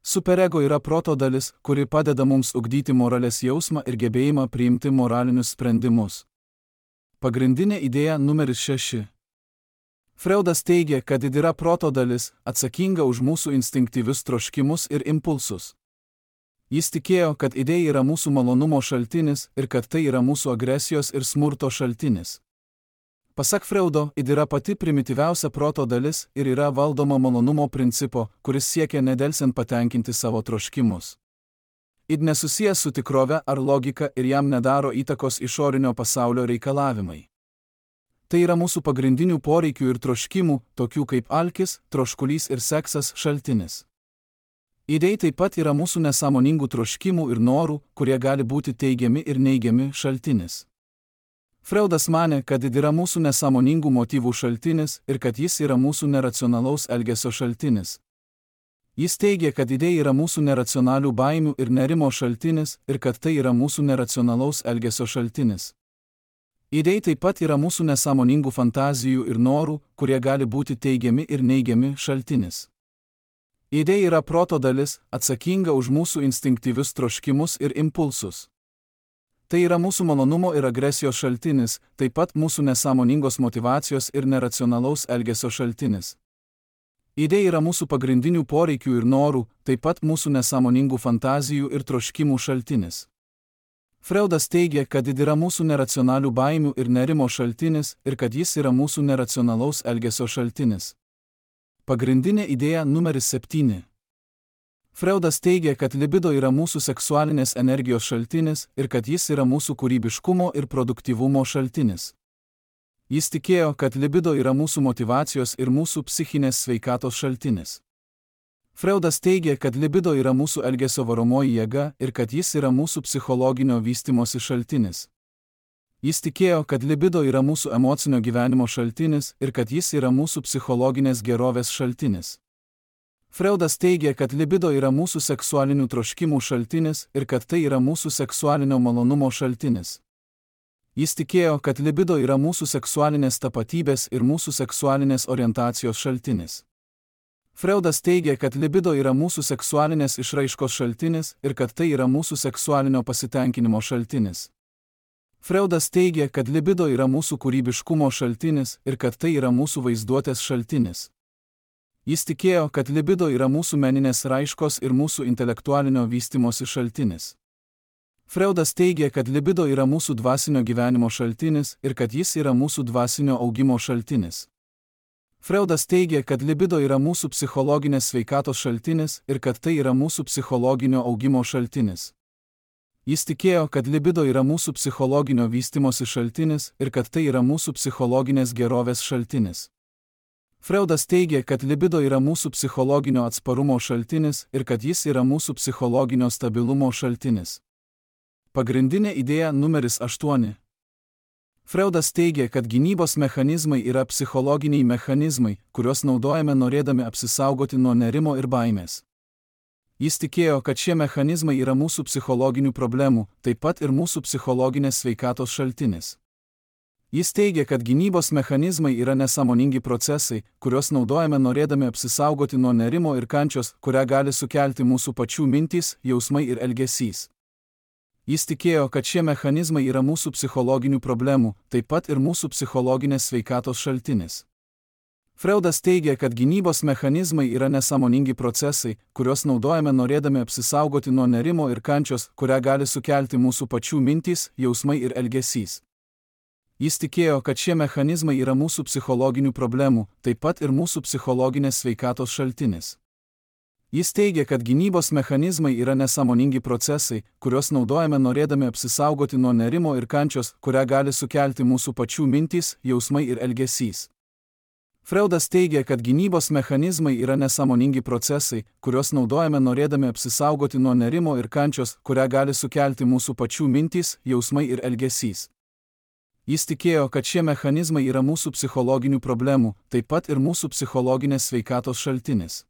Superego yra proto dalis, kuri padeda mums ugdyti moralės jausmą ir gebėjimą priimti moralinius sprendimus. Pagrindinė idėja numeris 6. Freudas teigia, kad yra proto dalis, atsakinga už mūsų instinktyvius troškimus ir impulsus. Jis tikėjo, kad idėja yra mūsų malonumo šaltinis ir kad tai yra mūsų agresijos ir smurto šaltinis. Pasak Freudo, yra pati primityviausia proto dalis ir yra valdoma malonumo principo, kuris siekia nedelsiant patenkinti savo troškimus. Nesusijęs su tikrove ar logika ir jam nedaro įtakos išorinio pasaulio reikalavimai. Tai yra mūsų pagrindinių poreikių ir troškimų, tokių kaip alkis, troškulys ir seksas šaltinis. Idėja taip pat yra mūsų nesąmoningų troškimų ir norų, kurie gali būti teigiami ir neigiami šaltinis. Freudas manė, kad yra mūsų nesąmoningų motyvų šaltinis ir kad jis yra mūsų neracionalaus elgesio šaltinis. Jis teigia, kad idėja yra mūsų neracionalių baimių ir nerimo šaltinis ir kad tai yra mūsų neracionalaus elgesio šaltinis. Idėja taip pat yra mūsų nesąmoningų fantazijų ir norų, kurie gali būti teigiami ir neigiami šaltinis. Idėja yra proto dalis, atsakinga už mūsų instinktyvius troškimus ir impulsus. Tai yra mūsų malonumo ir agresijos šaltinis, taip pat mūsų nesąmoningos motyvacijos ir neracionalaus elgesio šaltinis. Idėja yra mūsų pagrindinių poreikių ir norų, taip pat mūsų nesąmoningų fantazijų ir troškimų šaltinis. Freudas teigia, kad yra mūsų neracionalių baimių ir nerimo šaltinis ir kad jis yra mūsų neracionalaus elgesio šaltinis. Pagrindinė idėja numeris 7. Freudas teigia, kad libido yra mūsų seksualinės energijos šaltinis ir kad jis yra mūsų kūrybiškumo ir produktyvumo šaltinis. Jis tikėjo, kad libido yra mūsų motyvacijos ir mūsų psichinės sveikatos šaltinis. Freudas teigia, kad libido yra mūsų elgesio varomoji jėga ir kad jis yra mūsų psichologinio vystymosi šaltinis. Jis tikėjo, kad libido yra mūsų emocinio gyvenimo šaltinis ir kad jis yra mūsų psichologinės gerovės šaltinis. Freudas teigia, kad libido yra mūsų seksualinių troškimų šaltinis ir kad tai yra mūsų seksualinio malonumo šaltinis. Jis tikėjo, kad libido yra mūsų seksualinės tapatybės ir mūsų seksualinės orientacijos šaltinis. Freudas teigia, kad libido yra mūsų seksualinės išraiškos šaltinis ir kad tai yra mūsų seksualinio pasitenkinimo šaltinis. Freudas teigia, kad libido yra mūsų kūrybiškumo šaltinis ir kad tai yra mūsų vaizduotės šaltinis. Jis tikėjo, kad libido yra mūsų meninės raiškos ir mūsų intelektualinio vystymosi šaltinis. Freudas teigia, kad libido yra mūsų dvasinio gyvenimo šaltinis ir kad jis yra mūsų dvasinio augimo šaltinis. Freudas teigia, kad libido yra mūsų psichologinės sveikatos šaltinis ir kad tai yra mūsų psichologinio augimo šaltinis. Jis tikėjo, kad libido yra mūsų psichologinio vystymosi šaltinis ir kad tai yra mūsų psichologinės gerovės šaltinis. Freudas teigia, kad libido yra mūsų psichologinio atsparumo šaltinis ir kad jis yra mūsų psichologinio stabilumo šaltinis. Pagrindinė idėja numeris 8. Freudas teigia, kad gynybos mechanizmai yra psichologiniai mechanizmai, kuriuos naudojame norėdami apsisaugoti nuo nerimo ir baimės. Jis tikėjo, kad šie mechanizmai yra mūsų psichologinių problemų, taip pat ir mūsų psichologinės sveikatos šaltinis. Jis teigia, kad gynybos mechanizmai yra nesąmoningi procesai, kuriuos naudojame norėdami apsisaugoti nuo nerimo ir kančios, kurią gali sukelti mūsų pačių mintys, jausmai ir elgesys. Jis tikėjo, kad šie mechanizmai yra mūsų psichologinių problemų, taip pat ir mūsų psichologinės sveikatos šaltinis. Freudas teigia, kad gynybos mechanizmai yra nesąmoningi procesai, kuriuos naudojame norėdami apsisaugoti nuo nerimo ir kančios, kurią gali sukelti mūsų pačių mintys, jausmai ir elgesys. Jis tikėjo, kad šie mechanizmai yra mūsų psichologinių problemų, taip pat ir mūsų psichologinės sveikatos šaltinis. Jis teigia, kad gynybos mechanizmai yra nesąmoningi procesai, kuriuos naudojame norėdami apsisaugoti nuo nerimo ir kančios, kurią gali sukelti mūsų pačių mintys, jausmai ir elgesys. Freudas teigia, kad gynybos mechanizmai yra nesąmoningi procesai, kuriuos naudojame norėdami apsisaugoti nuo nerimo ir kančios, kurią gali sukelti mūsų pačių mintys, jausmai ir elgesys. Jis tikėjo, kad šie mechanizmai yra mūsų psichologinių problemų, taip pat ir mūsų psichologinės sveikatos šaltinis.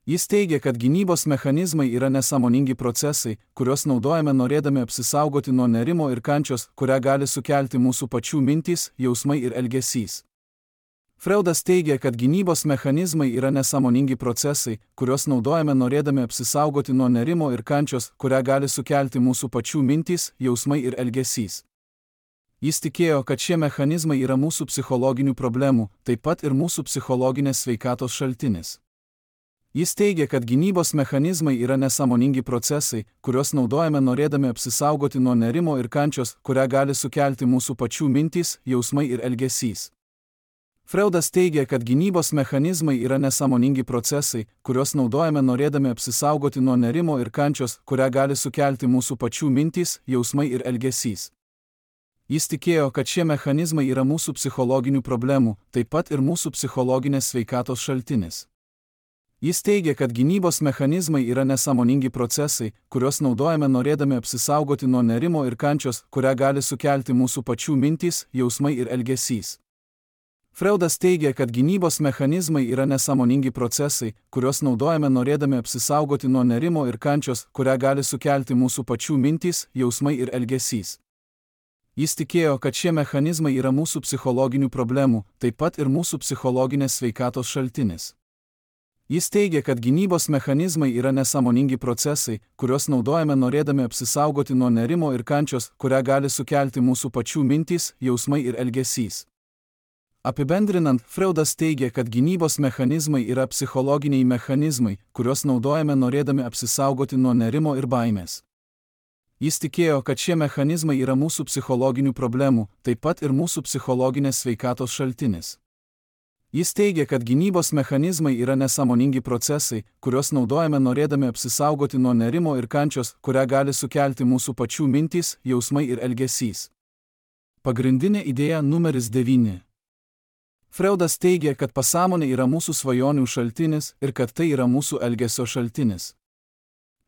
Jis teigia, kad gynybos mechanizmai yra nesąmoningi procesai, kuriuos naudojame norėdami apsisaugoti nuo nerimo ir kančios, kurią gali sukelti mūsų pačių mintys, jausmai ir elgesys. Freudas teigia, kad gynybos mechanizmai yra nesąmoningi procesai, kuriuos naudojame norėdami apsisaugoti nuo nerimo ir kančios, kurią gali sukelti mūsų pačių mintys, jausmai ir elgesys. Jis tikėjo, kad šie mechanizmai yra mūsų psichologinių problemų, taip pat ir mūsų psichologinės sveikatos šaltinis. Jis teigia, kad gynybos mechanizmai yra nesąmoningi procesai, kuriuos naudojame norėdami apsisaugoti nuo nerimo ir kančios, kurią gali sukelti mūsų pačių mintys, jausmai ir elgesys. Freudas teigia, kad gynybos mechanizmai yra nesąmoningi procesai, kuriuos naudojame norėdami apsisaugoti nuo nerimo ir kančios, kurią gali sukelti mūsų pačių mintys, jausmai ir elgesys. Jis tikėjo, kad šie mechanizmai yra mūsų psichologinių problemų, taip pat ir mūsų psichologinės sveikatos šaltinis. Jis teigia, kad gynybos mechanizmai yra nesąmoningi procesai, kuriuos naudojame norėdami apsisaugoti nuo nerimo ir kančios, kurią gali sukelti mūsų pačių mintys, jausmai ir elgesys. Freudas teigia, kad gynybos mechanizmai yra nesąmoningi procesai, kuriuos naudojame norėdami apsisaugoti nuo nerimo ir kančios, kurią gali sukelti mūsų pačių mintys, jausmai ir elgesys. Jis tikėjo, kad šie mechanizmai yra mūsų psichologinių problemų, taip pat ir mūsų psichologinės sveikatos šaltinis. Jis teigia, kad gynybos mechanizmai yra nesąmoningi procesai, kuriuos naudojame norėdami apsisaugoti nuo nerimo ir kančios, kurią gali sukelti mūsų pačių mintys, jausmai ir elgesys. Apibendrinant, Freudas teigia, kad gynybos mechanizmai yra psichologiniai mechanizmai, kuriuos naudojame norėdami apsisaugoti nuo nerimo ir baimės. Jis tikėjo, kad šie mechanizmai yra mūsų psichologinių problemų, taip pat ir mūsų psichologinės sveikatos šaltinis. Jis teigia, kad gynybos mechanizmai yra nesąmoningi procesai, kuriuos naudojame norėdami apsisaugoti nuo nerimo ir kančios, kurią gali sukelti mūsų pačių mintys, jausmai ir elgesys. Pagrindinė idėja numeris 9. Freudas teigia, kad pasąmonė yra mūsų svajonių šaltinis ir kad tai yra mūsų elgesio šaltinis.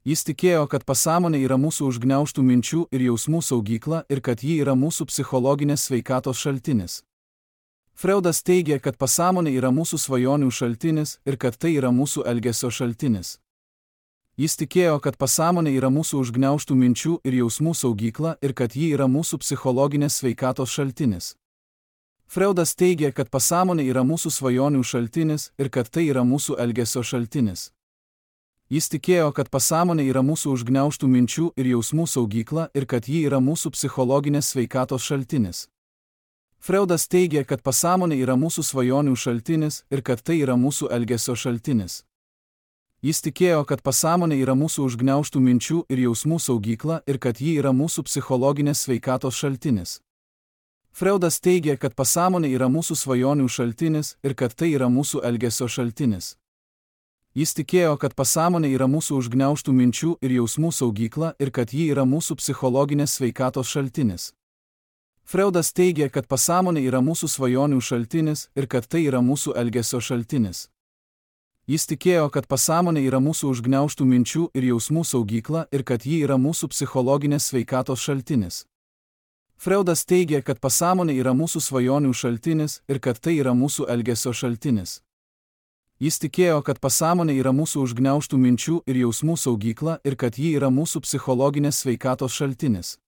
Jis tikėjo, kad pasąmonė yra mūsų užgniaužtų minčių ir jausmų saugykla ir kad ji yra mūsų psichologinės sveikatos šaltinis. Freudas teigia, kad pasąmonė yra mūsų svajonių šaltinis ir kad tai yra mūsų elgesio šaltinis. Jis tikėjo, kad pasąmonė yra mūsų užgniaužtų minčių ir jausmų saugykla ir kad ji yra mūsų psichologinės sveikatos šaltinis. Freudas teigia, kad pasąmonė yra mūsų svajonių šaltinis ir kad tai yra mūsų elgesio šaltinis. Jis tikėjo, kad pasąmonė yra mūsų užgniaužtų minčių ir jausmų saugykla ir kad ji yra mūsų psichologinės sveikatos šaltinis. Freudas teigia, kad pasąmonė yra mūsų svajonių šaltinis ir kad tai yra mūsų elgesio šaltinis. Jis tikėjo, kad pasąmonė yra mūsų užgniaužtų minčių ir jausmų saugykla ir kad ji yra mūsų psichologinės sveikatos šaltinis. Freudas teigia, kad pasąmonė yra mūsų svajonių šaltinis ir kad tai yra mūsų elgesio šaltinis. Jis tikėjo, kad pasąmonė yra mūsų užgniaužtų minčių ir jausmų saugykla ir kad ji yra mūsų psichologinės sveikatos šaltinis. Freudas teigia, kad pasąmonė yra mūsų svajonių šaltinis ir kad tai yra mūsų elgesio šaltinis. Jis tikėjo, kad pasąmonė yra mūsų užgniaužtų minčių ir jausmų saugykla ir kad ji yra mūsų psichologinės sveikatos šaltinis. Freudas teigia, kad pasąmonė yra mūsų svajonių šaltinis ir kad tai yra mūsų elgesio šaltinis. Jis tikėjo, kad pasąmonė yra mūsų užgniaužtų minčių ir jausmų saugykla ir kad ji yra mūsų psichologinės sveikatos šaltinis.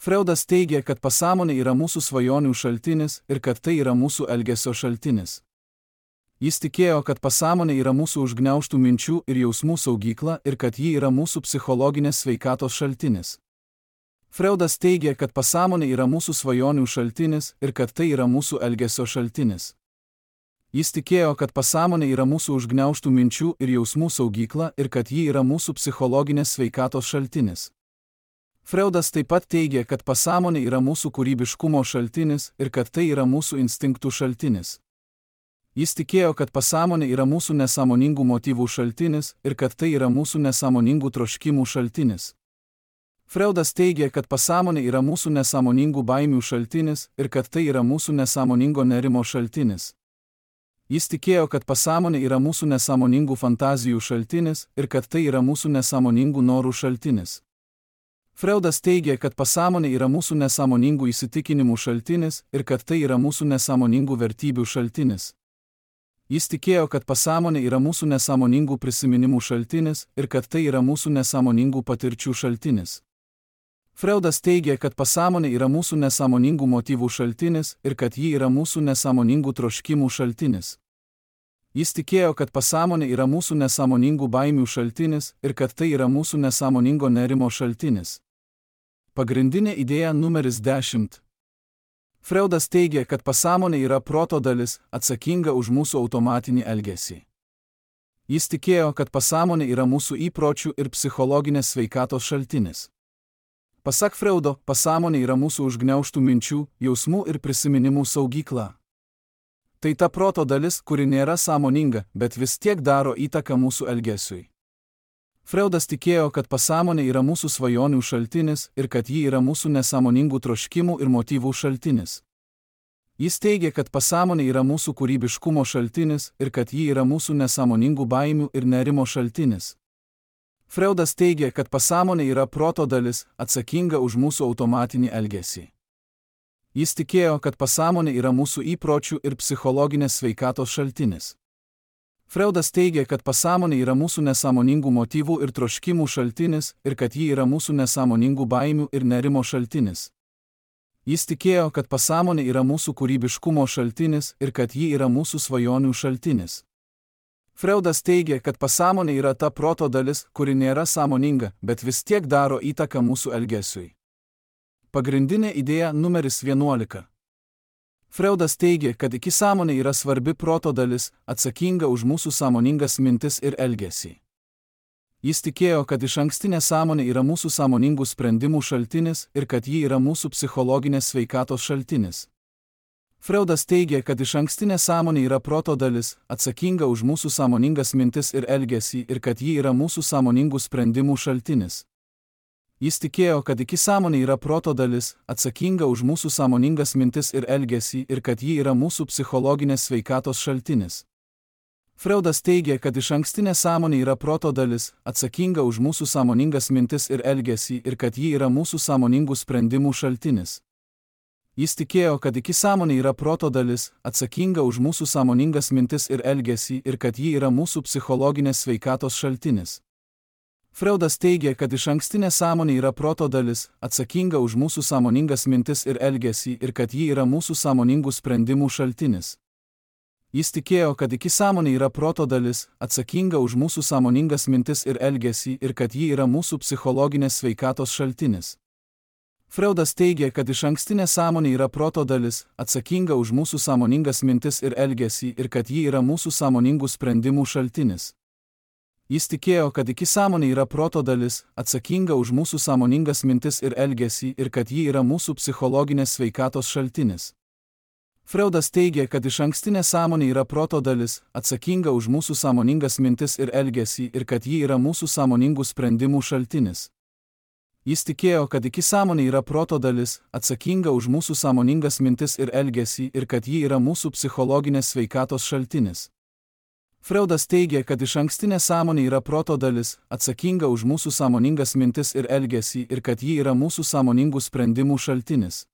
Freudas teigia, kad pasąmonė yra mūsų svajonių šaltinis ir kad tai yra mūsų elgesio šaltinis. Jis tikėjo, kad pasąmonė yra mūsų užgniaužtų minčių ir jausmų saugykla ir kad ji yra mūsų psichologinės sveikatos šaltinis. Freudas teigia, kad pasąmonė yra mūsų svajonių šaltinis ir kad tai yra mūsų elgesio šaltinis. Jis tikėjo, kad pasąmonė yra mūsų užgniaužtų minčių ir jausmų saugykla ir kad ji yra mūsų psichologinės sveikatos šaltinis. Freudas taip pat teigia, kad pasąmonė yra mūsų kūrybiškumo šaltinis ir kad tai yra mūsų instinktų šaltinis. Jis tikėjo, kad pasąmonė yra mūsų nesąmoningų motyvų šaltinis ir kad tai yra mūsų nesąmoningų troškimų šaltinis. Freudas teigia, kad pasąmonė yra mūsų nesąmoningų baimių šaltinis ir kad tai yra mūsų nesąmoningo nerimo šaltinis. Jis tikėjo, kad pasąmonė yra mūsų nesąmoningų fantazijų šaltinis ir kad tai yra mūsų nesąmoningų norų šaltinis. Freudas teigė, kad pasąmonė yra mūsų nesąmoningų įsitikinimų šaltinis ir kad tai yra mūsų nesąmoningų vertybių šaltinis. Jis tikėjo, kad pasąmonė yra mūsų nesąmoningų prisiminimų šaltinis ir kad tai yra mūsų nesąmoningų patirčių šaltinis. Freudas teigė, kad pasąmonė yra mūsų nesąmoningų motyvų šaltinis ir kad ji yra mūsų nesąmoningų troškimų šaltinis. Jis tikėjo, kad pasąmonė yra mūsų nesąmoningų baimių šaltinis ir kad tai yra mūsų nesąmoningo nerimo šaltinis. Pagrindinė idėja numeris 10. Freudas teigė, kad pasąmonė yra proto dalis, atsakinga už mūsų automatinį elgesį. Jis tikėjo, kad pasąmonė yra mūsų įpročių ir psichologinės sveikatos šaltinis. Pasak Freudo, pasąmonė yra mūsų užgniaužtų minčių, jausmų ir prisiminimų saugykla. Tai ta proto dalis, kuri nėra sąmoninga, bet vis tiek daro įtaką mūsų elgesiui. Freudas tikėjo, kad pasąmonė yra mūsų svajonių šaltinis ir kad ji yra mūsų nesąmoningų troškimų ir motyvų šaltinis. Jis teigė, kad pasąmonė yra mūsų kūrybiškumo šaltinis ir kad ji yra mūsų nesąmoningų baimių ir nerimo šaltinis. Freudas teigė, kad pasąmonė yra proto dalis, atsakinga už mūsų automatinį elgesį. Jis tikėjo, kad pasąmonė yra mūsų įpročių ir psichologinės sveikatos šaltinis. Freudas teigė, kad pasąmonė yra mūsų nesąmoningų motyvų ir troškimų šaltinis ir kad ji yra mūsų nesąmoningų baimių ir nerimo šaltinis. Jis tikėjo, kad pasąmonė yra mūsų kūrybiškumo šaltinis ir kad ji yra mūsų svajonių šaltinis. Freudas teigė, kad pasąmonė yra ta proto dalis, kuri nėra sąmoninga, bet vis tiek daro įtaką mūsų elgesiui. Pagrindinė idėja numeris 11. Freudas teigė, kad iki sąmonė yra svarbi proto dalis, atsakinga už mūsų sąmoningas mintis ir elgesį. Jis tikėjo, kad išankstinė sąmonė yra mūsų sąmoningų sprendimų šaltinis ir kad ji yra mūsų psichologinės sveikatos šaltinis. Freudas teigė, kad išankstinė sąmonė yra proto dalis, atsakinga už mūsų sąmoningas mintis ir elgesį ir kad ji yra mūsų sąmoningų sprendimų šaltinis. Jis tikėjo, kad iki sąmonė yra proto dalis, atsakinga už mūsų sąmoningas mintis ir elgesį ir kad ji yra mūsų psichologinės sveikatos šaltinis. Freudas teigė, kad išankstinė sąmonė yra proto dalis, atsakinga už mūsų sąmoningas mintis ir elgesį ir kad ji yra mūsų sąmoningų sprendimų šaltinis. Jis tikėjo, kad iki sąmonė yra proto dalis, atsakinga už mūsų sąmoningas mintis ir elgesį ir kad ji yra mūsų psichologinės sveikatos šaltinis. Freudas teigė, kad išankstinė sąmonė yra proto dalis, atsakinga už mūsų sąmoningas mintis ir elgesį ir kad ji yra mūsų sąmoningų sprendimų šaltinis. Jis tikėjo, kad iki sąmonė yra proto dalis, atsakinga už mūsų sąmoningas mintis ir elgesį ir kad ji yra mūsų psichologinės sveikatos šaltinis. Freudas teigė, kad išankstinė sąmonė yra proto dalis, atsakinga už mūsų sąmoningas mintis ir elgesį ir kad ji yra mūsų sąmoningų sprendimų šaltinis. Jis tikėjo, kad iki sąmonė yra proto dalis, atsakinga už mūsų sąmoningas mintis ir elgesį ir kad ji yra mūsų psichologinės sveikatos šaltinis. Freudas teigė, kad išankstinė sąmonė yra proto dalis, atsakinga už mūsų sąmoningas mintis ir elgesį ir kad ji yra mūsų sąmoningų sprendimų šaltinis. Jis tikėjo, kad iki sąmonė yra proto dalis, atsakinga už mūsų sąmoningas mintis ir elgesį ir kad ji yra mūsų psichologinės sveikatos šaltinis. Freudas teigė, kad išankstinė sąmonė yra proto dalis, atsakinga už mūsų sąmoningas mintis ir elgesį ir kad ji yra mūsų sąmoningų sprendimų šaltinis.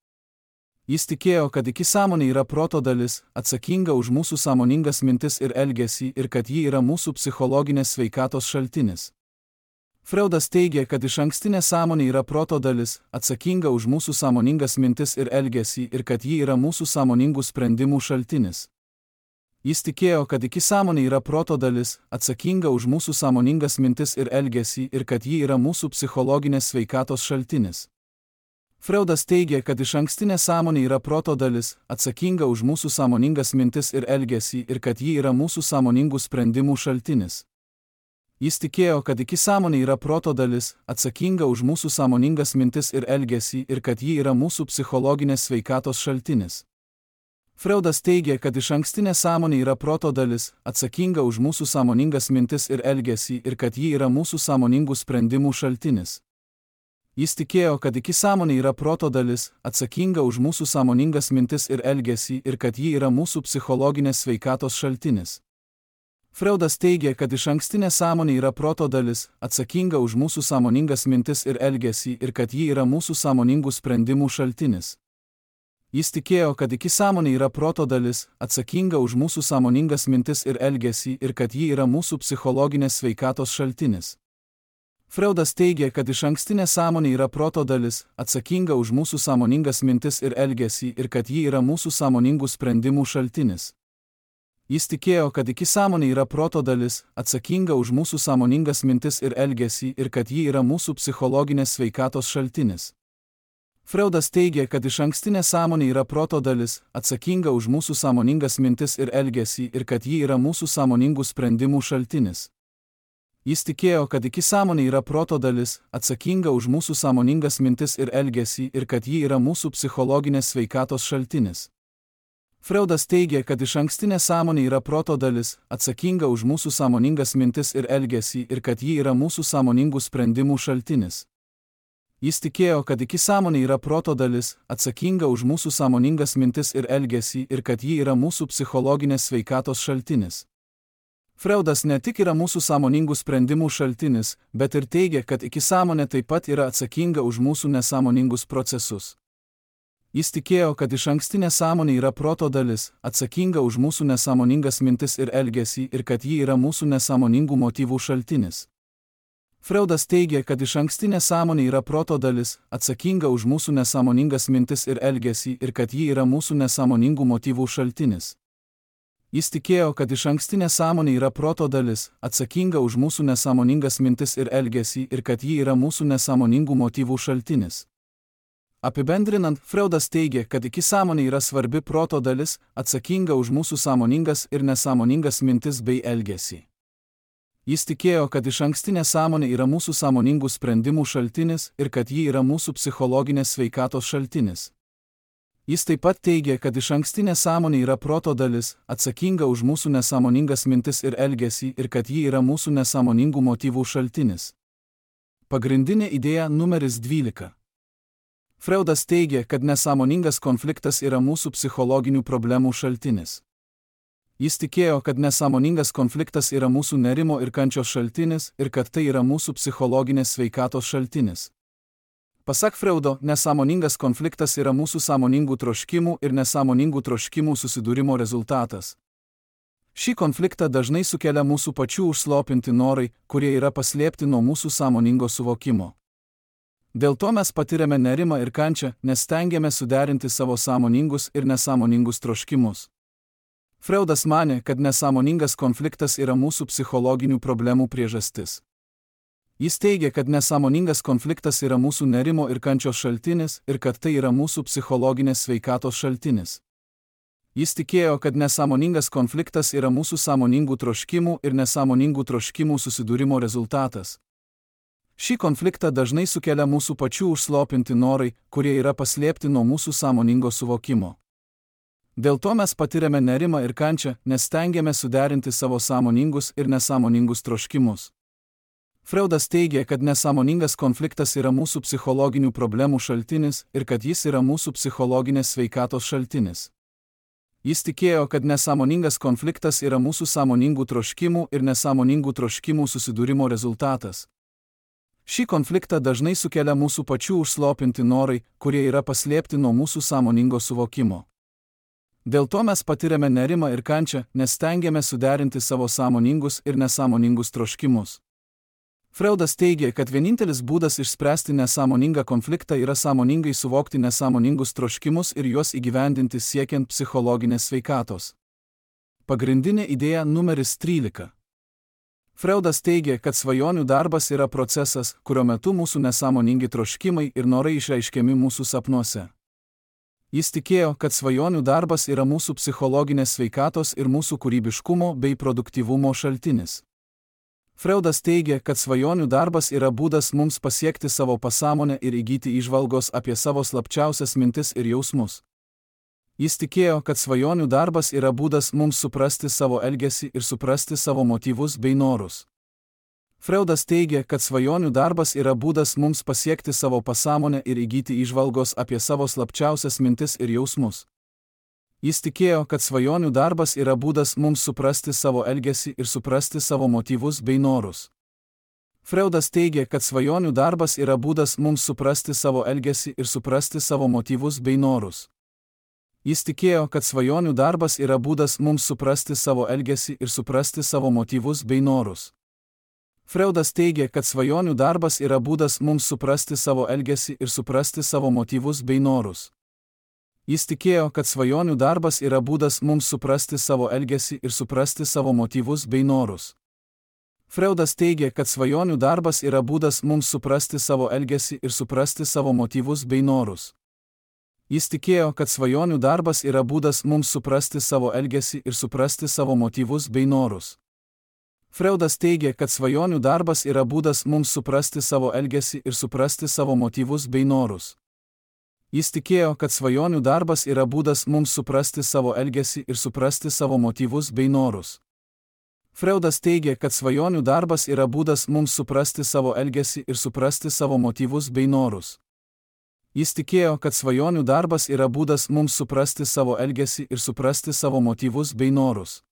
Jis tikėjo, kad iki sąmonė yra proto dalis, atsakinga už mūsų sąmoningas mintis ir elgesį ir kad ji yra mūsų psichologinės sveikatos šaltinis. Freudas teigė, kad išankstinė sąmonė yra proto dalis, atsakinga už mūsų sąmoningas mintis ir elgesį ir kad ji yra mūsų sąmoningų sprendimų šaltinis. Jis tikėjo, kad iki sąmonė yra proto dalis, atsakinga už mūsų sąmoningas mintis ir elgesį ir kad ji yra mūsų psichologinės sveikatos šaltinis. Freudas teigė, kad išankstinė sąmonė yra proto dalis, atsakinga už mūsų sąmoningas mintis ir elgesį ir kad ji yra mūsų sąmoningų sprendimų šaltinis. Jis tikėjo, kad iki sąmonė yra proto dalis, atsakinga už mūsų sąmoningas mintis ir elgesį ir kad ji yra mūsų psichologinės sveikatos šaltinis. Freudas teigė, kad išankstinė sąmonė yra proto dalis, atsakinga už mūsų sąmoningas mintis ir elgesį ir kad ji yra mūsų sąmoningų sprendimų šaltinis. Jis tikėjo, kad įsisąmonė yra proto dalis, atsakinga už mūsų sąmoningas mintis ir elgesį ir kad ji yra mūsų psichologinės sveikatos šaltinis. Freudas teigė, kad išankstinė sąmonė yra proto dalis, atsakinga už mūsų sąmoningas mintis ir elgesį ir kad ji yra mūsų sąmoningų sprendimų šaltinis. Jis tikėjo, kad įsisąmonė yra proto dalis, atsakinga už mūsų sąmoningas mintis ir elgesį ir kad ji yra mūsų psichologinės sveikatos šaltinis. Freudas teigė, kad išankstinė sąmonė yra proto dalis, atsakinga už mūsų sąmoningas mintis ir elgesį ir kad ji yra mūsų sąmoningų sprendimų šaltinis. Jis tikėjo, kad įsisąmonė yra proto dalis, atsakinga už mūsų sąmoningas mintis ir elgesį ir kad ji yra mūsų psichologinės sveikatos šaltinis. Freudas teigė, kad išankstinė sąmonė yra proto dalis, atsakinga už mūsų sąmoningas mintis ir elgesį ir kad ji yra mūsų sąmoningų sprendimų šaltinis. Jis tikėjo, kad įsisąmonė yra proto dalis, atsakinga už mūsų sąmoningas mintis ir elgesį ir kad ji yra mūsų psichologinės sveikatos šaltinis. Freudas teigė, kad išankstinė sąmonė yra proto dalis, atsakinga už mūsų sąmoningas mintis ir elgesį ir kad ji yra mūsų sąmoningų sprendimų šaltinis. Jis tikėjo, kad įsisąmonė yra proto dalis, atsakinga už mūsų sąmoningas mintis ir elgesį ir kad ji yra mūsų psichologinės sveikatos šaltinis. Freudas ne tik yra mūsų sąmoningų sprendimų šaltinis, bet ir teigia, kad įsisąmonė taip pat yra atsakinga už mūsų nesąmoningus procesus. Jis tikėjo, kad išankstinė sąmonė yra proto dalis, atsakinga už mūsų nesąmoningas mintis ir elgesį ir kad ji yra mūsų nesąmoningų motyvų šaltinis. Freudas teigė, kad išankstinė sąmonė yra proto dalis, atsakinga už mūsų nesąmoningas mintis ir elgesį ir kad ji yra mūsų nesąmoningų motyvų šaltinis. Jis tikėjo, kad išankstinė sąmonė yra proto dalis, atsakinga už mūsų nesąmoningas mintis ir elgesį ir kad ji yra mūsų nesąmoningų motyvų šaltinis. Apibendrinant, Freudas teigė, kad įsisąmonė yra svarbi proto dalis, atsakinga už mūsų sąmoningas ir nesąmoningas mintis bei elgesį. Jis tikėjo, kad išankstinė sąmonė yra mūsų sąmoningų sprendimų šaltinis ir kad ji yra mūsų psichologinės sveikatos šaltinis. Jis taip pat teigė, kad išankstinė sąmonė yra proto dalis, atsakinga už mūsų nesąmoningas mintis ir elgesį ir kad ji yra mūsų nesąmoningų motyvų šaltinis. Pagrindinė idėja numeris 12. Freudas teigė, kad nesąmoningas konfliktas yra mūsų psichologinių problemų šaltinis. Jis tikėjo, kad nesąmoningas konfliktas yra mūsų nerimo ir kančios šaltinis ir kad tai yra mūsų psichologinės sveikatos šaltinis. Pasak Freudo, nesąmoningas konfliktas yra mūsų sąmoningų troškimų ir nesąmoningų troškimų susidūrimo rezultatas. Šį konfliktą dažnai sukelia mūsų pačių užslopinti norai, kurie yra paslėpti nuo mūsų sąmoningo suvokimo. Dėl to mes patiriame nerimą ir kančią, nes stengiame suderinti savo sąmoningus ir nesąmoningus troškimus. Freudas manė, kad nesąmoningas konfliktas yra mūsų psichologinių problemų priežastis. Jis teigia, kad nesąmoningas konfliktas yra mūsų nerimo ir kančios šaltinis ir kad tai yra mūsų psichologinės sveikatos šaltinis. Jis tikėjo, kad nesąmoningas konfliktas yra mūsų sąmoningų troškimų ir nesąmoningų troškimų susidūrimo rezultatas. Šį konfliktą dažnai sukelia mūsų pačių užslopinti norai, kurie yra paslėpti nuo mūsų sąmoningo suvokimo. Dėl to mes patiriame nerimą ir kančią, nes stengiame suderinti savo sąmoningus ir nesąmoningus troškimus. Freudas teigė, kad nesąmoningas konfliktas yra mūsų psichologinių problemų šaltinis ir kad jis yra mūsų psichologinės sveikatos šaltinis. Jis tikėjo, kad nesąmoningas konfliktas yra mūsų sąmoningų troškimų ir nesąmoningų troškimų susidūrimo rezultatas. Šį konfliktą dažnai sukelia mūsų pačių užslopinti norai, kurie yra paslėpti nuo mūsų sąmoningo suvokimo. Dėl to mes patiriame nerimą ir kančią, nes stengiame suderinti savo sąmoningus ir nesąmoningus troškimus. Freudas teigė, kad vienintelis būdas išspręsti nesąmoningą konfliktą yra sąmoningai suvokti nesąmoningus troškimus ir juos įgyvendinti siekiant psichologinės sveikatos. Pagrindinė idėja numeris 13. Freudas teigė, kad svajonių darbas yra procesas, kurio metu mūsų nesąmoningi troškimai ir norai išreiškiami mūsų sapnuose. Jis tikėjo, kad svajonių darbas yra mūsų psichologinės sveikatos ir mūsų kūrybiškumo bei produktyvumo šaltinis. Freudas teigė, kad svajonių darbas yra būdas mums pasiekti savo pasąmonę ir įgyti įžvalgos apie savo slapčiausias mintis ir jausmus. Jis tikėjo, kad svajonių darbas yra būdas mums suprasti savo elgesį ir suprasti savo motyvus bei norus. Freudas teigia, kad svajonių darbas yra būdas mums pasiekti savo pasąmonę ir įgyti įžvalgos apie savo slapčiausias mintis ir jausmus. Jis tikėjo, kad svajonių darbas yra būdas mums suprasti savo elgesį ir suprasti savo motyvus bei norus. Freudas teigia, kad svajonių darbas yra būdas mums suprasti savo elgesį ir suprasti savo motyvus bei norus. Jis tikėjo, kad svajonių darbas yra būdas mums suprasti savo elgesį ir suprasti savo motyvus bei norus. Freudas teigia, kad svajonių darbas yra būdas mums suprasti savo elgesį ir suprasti savo motyvus bei norus. Jis tikėjo, kad svajonių darbas yra būdas mums suprasti savo elgesį ir suprasti savo motyvus bei norus. Freudas teigia, kad svajonių darbas yra būdas mums suprasti savo elgesį ir suprasti savo motyvus bei norus. Jis tikėjo, kad svajonių darbas yra būdas mums suprasti savo elgesį ir suprasti savo motyvus bei norus. Freudas teigia, kad svajonių darbas yra būdas mums suprasti savo elgesį ir suprasti savo motyvus bei norus. Jis tikėjo, kad svajonių darbas yra būdas mums suprasti savo elgesį ir suprasti savo motyvus bei norus. Freudas teigia, kad svajonių darbas yra būdas mums suprasti savo elgesį ir suprasti savo motyvus bei norus. Jis tikėjo, kad svajonių darbas yra būdas mums suprasti savo elgesį ir suprasti savo motyvus bei norus.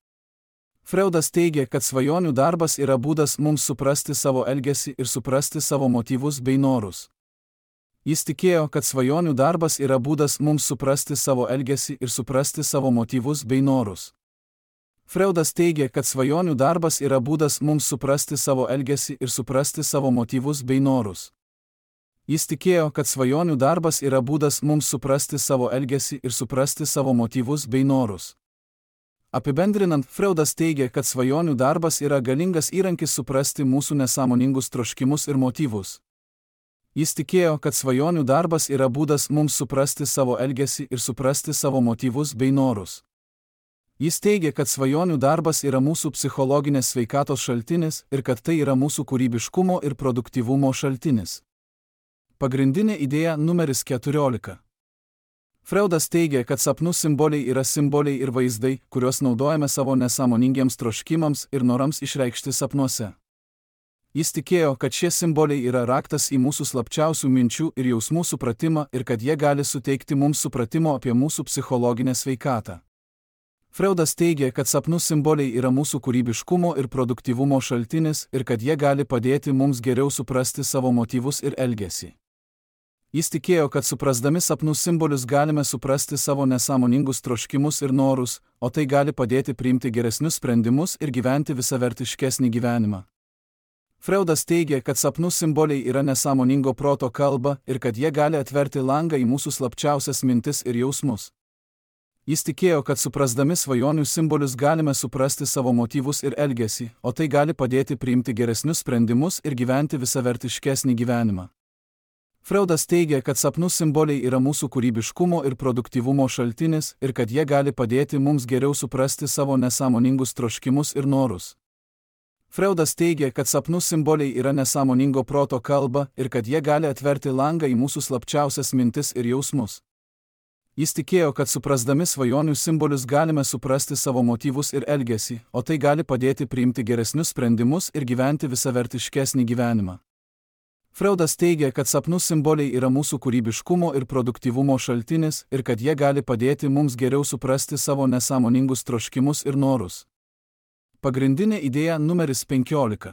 Freudas teigia, kad svajonių darbas yra būdas mums suprasti savo elgesį ir suprasti savo motyvus bei norus. Jis tikėjo, kad svajonių darbas yra būdas mums suprasti savo elgesį ir suprasti savo motyvus bei norus. Freudas teigia, kad svajonių darbas yra būdas mums suprasti savo elgesį ir suprasti savo motyvus bei norus. Jis tikėjo, kad svajonių darbas yra būdas mums suprasti savo elgesį ir suprasti savo motyvus bei norus. Apibendrinant, Freudas teigia, kad svajonių darbas yra galingas įrankis suprasti mūsų nesąmoningus troškimus ir motyvus. Jis tikėjo, kad svajonių darbas yra būdas mums suprasti savo elgesį ir suprasti savo motyvus bei norus. Jis teigia, kad svajonių darbas yra mūsų psichologinės sveikatos šaltinis ir kad tai yra mūsų kūrybiškumo ir produktyvumo šaltinis. Pagrindinė idėja numeris 14. Freudas teigia, kad sapnų simboliai yra simboliai ir vaizdai, kuriuos naudojame savo nesąmoningiems troškimams ir norams išreikšti sapnuose. Jis tikėjo, kad šie simboliai yra raktas į mūsų slapčiausių minčių ir jausmų supratimą ir kad jie gali suteikti mums supratimo apie mūsų psichologinę sveikatą. Freudas teigia, kad sapnų simboliai yra mūsų kūrybiškumo ir produktyvumo šaltinis ir kad jie gali padėti mums geriau suprasti savo motyvus ir elgesį. Jis tikėjo, kad suprasdami sapnų simbolius galime suprasti savo nesąmoningus troškimus ir norus, o tai gali padėti priimti geresnius sprendimus ir gyventi visavertiškesnį gyvenimą. Freudas teigia, kad sapnų simboliai yra nesąmoningo proto kalba ir kad jie gali atverti langą į mūsų slapčiausias mintis ir jausmus. Jis tikėjo, kad suprasdami svajonių simbolius galime suprasti savo motyvus ir elgesį, o tai gali padėti priimti geresnius sprendimus ir gyventi visavertiškesnį gyvenimą. Freudas teigia, kad sapnų simboliai yra mūsų kūrybiškumo ir produktyvumo šaltinis ir kad jie gali padėti mums geriau suprasti savo nesąmoningus troškimus ir norus. Freudas teigia, kad sapnų simboliai yra nesąmoningo proto kalba ir kad jie gali atverti langą į mūsų slapčiausias mintis ir jausmus. Jis tikėjo, kad suprasdami svajonių simbolius galime suprasti savo motyvus ir elgesį, o tai gali padėti priimti geresnius sprendimus ir gyventi visavertiškesnį gyvenimą. Freudas teigia, kad sapnų simboliai yra mūsų kūrybiškumo ir produktyvumo šaltinis ir kad jie gali padėti mums geriau suprasti savo nesąmoningus troškimus ir norus. Pagrindinė idėja numeris 15.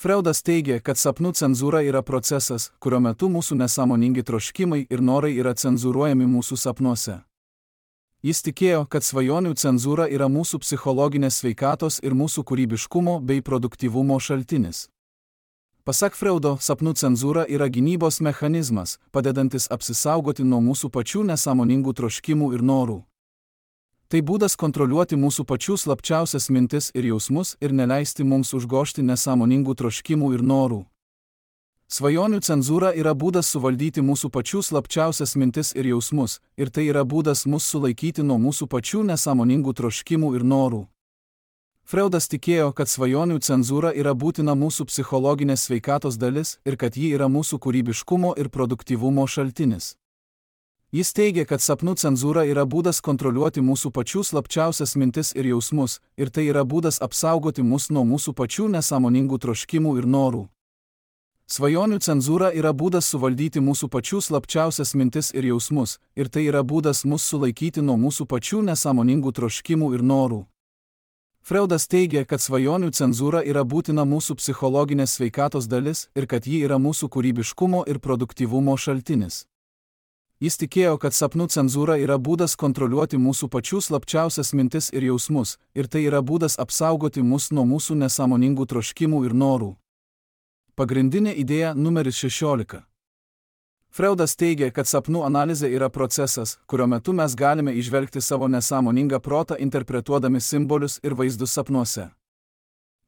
Freudas teigia, kad sapnų cenzūra yra procesas, kurio metu mūsų nesąmoningi troškimai ir norai yra cenzūruojami mūsų sapnuose. Jis tikėjo, kad svajonių cenzūra yra mūsų psichologinės sveikatos ir mūsų kūrybiškumo bei produktyvumo šaltinis. Pasak Freudo, sapnų cenzūra yra gynybos mechanizmas, padedantis apsisaugoti nuo mūsų pačių nesąmoningų troškimų ir norų. Tai būdas kontroliuoti mūsų pačių slapčiausias mintis ir jausmus ir neleisti mums užgožti nesąmoningų troškimų ir norų. Svajonių cenzūra yra būdas suvaldyti mūsų pačių slapčiausias mintis ir jausmus, ir tai yra būdas mus sulaikyti nuo mūsų pačių nesąmoningų troškimų ir norų. Freudas tikėjo, kad svajonių cenzūra yra būtina mūsų psichologinės sveikatos dalis ir kad ji yra mūsų kūrybiškumo ir produktyvumo šaltinis. Jis teigia, kad sapnų cenzūra yra būdas kontroliuoti mūsų pačių slapčiausias mintis ir jausmus, ir tai yra būdas apsaugoti mus nuo mūsų pačių nesąmoningų troškimų ir norų. Svajonių cenzūra yra būdas suvaldyti mūsų pačių slapčiausias mintis ir jausmus, ir tai yra būdas mus sulaikyti nuo mūsų pačių nesąmoningų troškimų ir norų. Freudas teigia, kad svajonių cenzūra yra būtina mūsų psichologinės sveikatos dalis ir kad ji yra mūsų kūrybiškumo ir produktyvumo šaltinis. Jis tikėjo, kad sapnų cenzūra yra būdas kontroliuoti mūsų pačių slapčiausias mintis ir jausmus, ir tai yra būdas apsaugoti mus nuo mūsų nesąmoningų troškimų ir norų. Pagrindinė idėja numeris 16. Freudas teigia, kad sapnų analizė yra procesas, kurio metu mes galime įžvelgti savo nesąmoningą protą interpretuodami simbolius ir vaizdus sapnuose.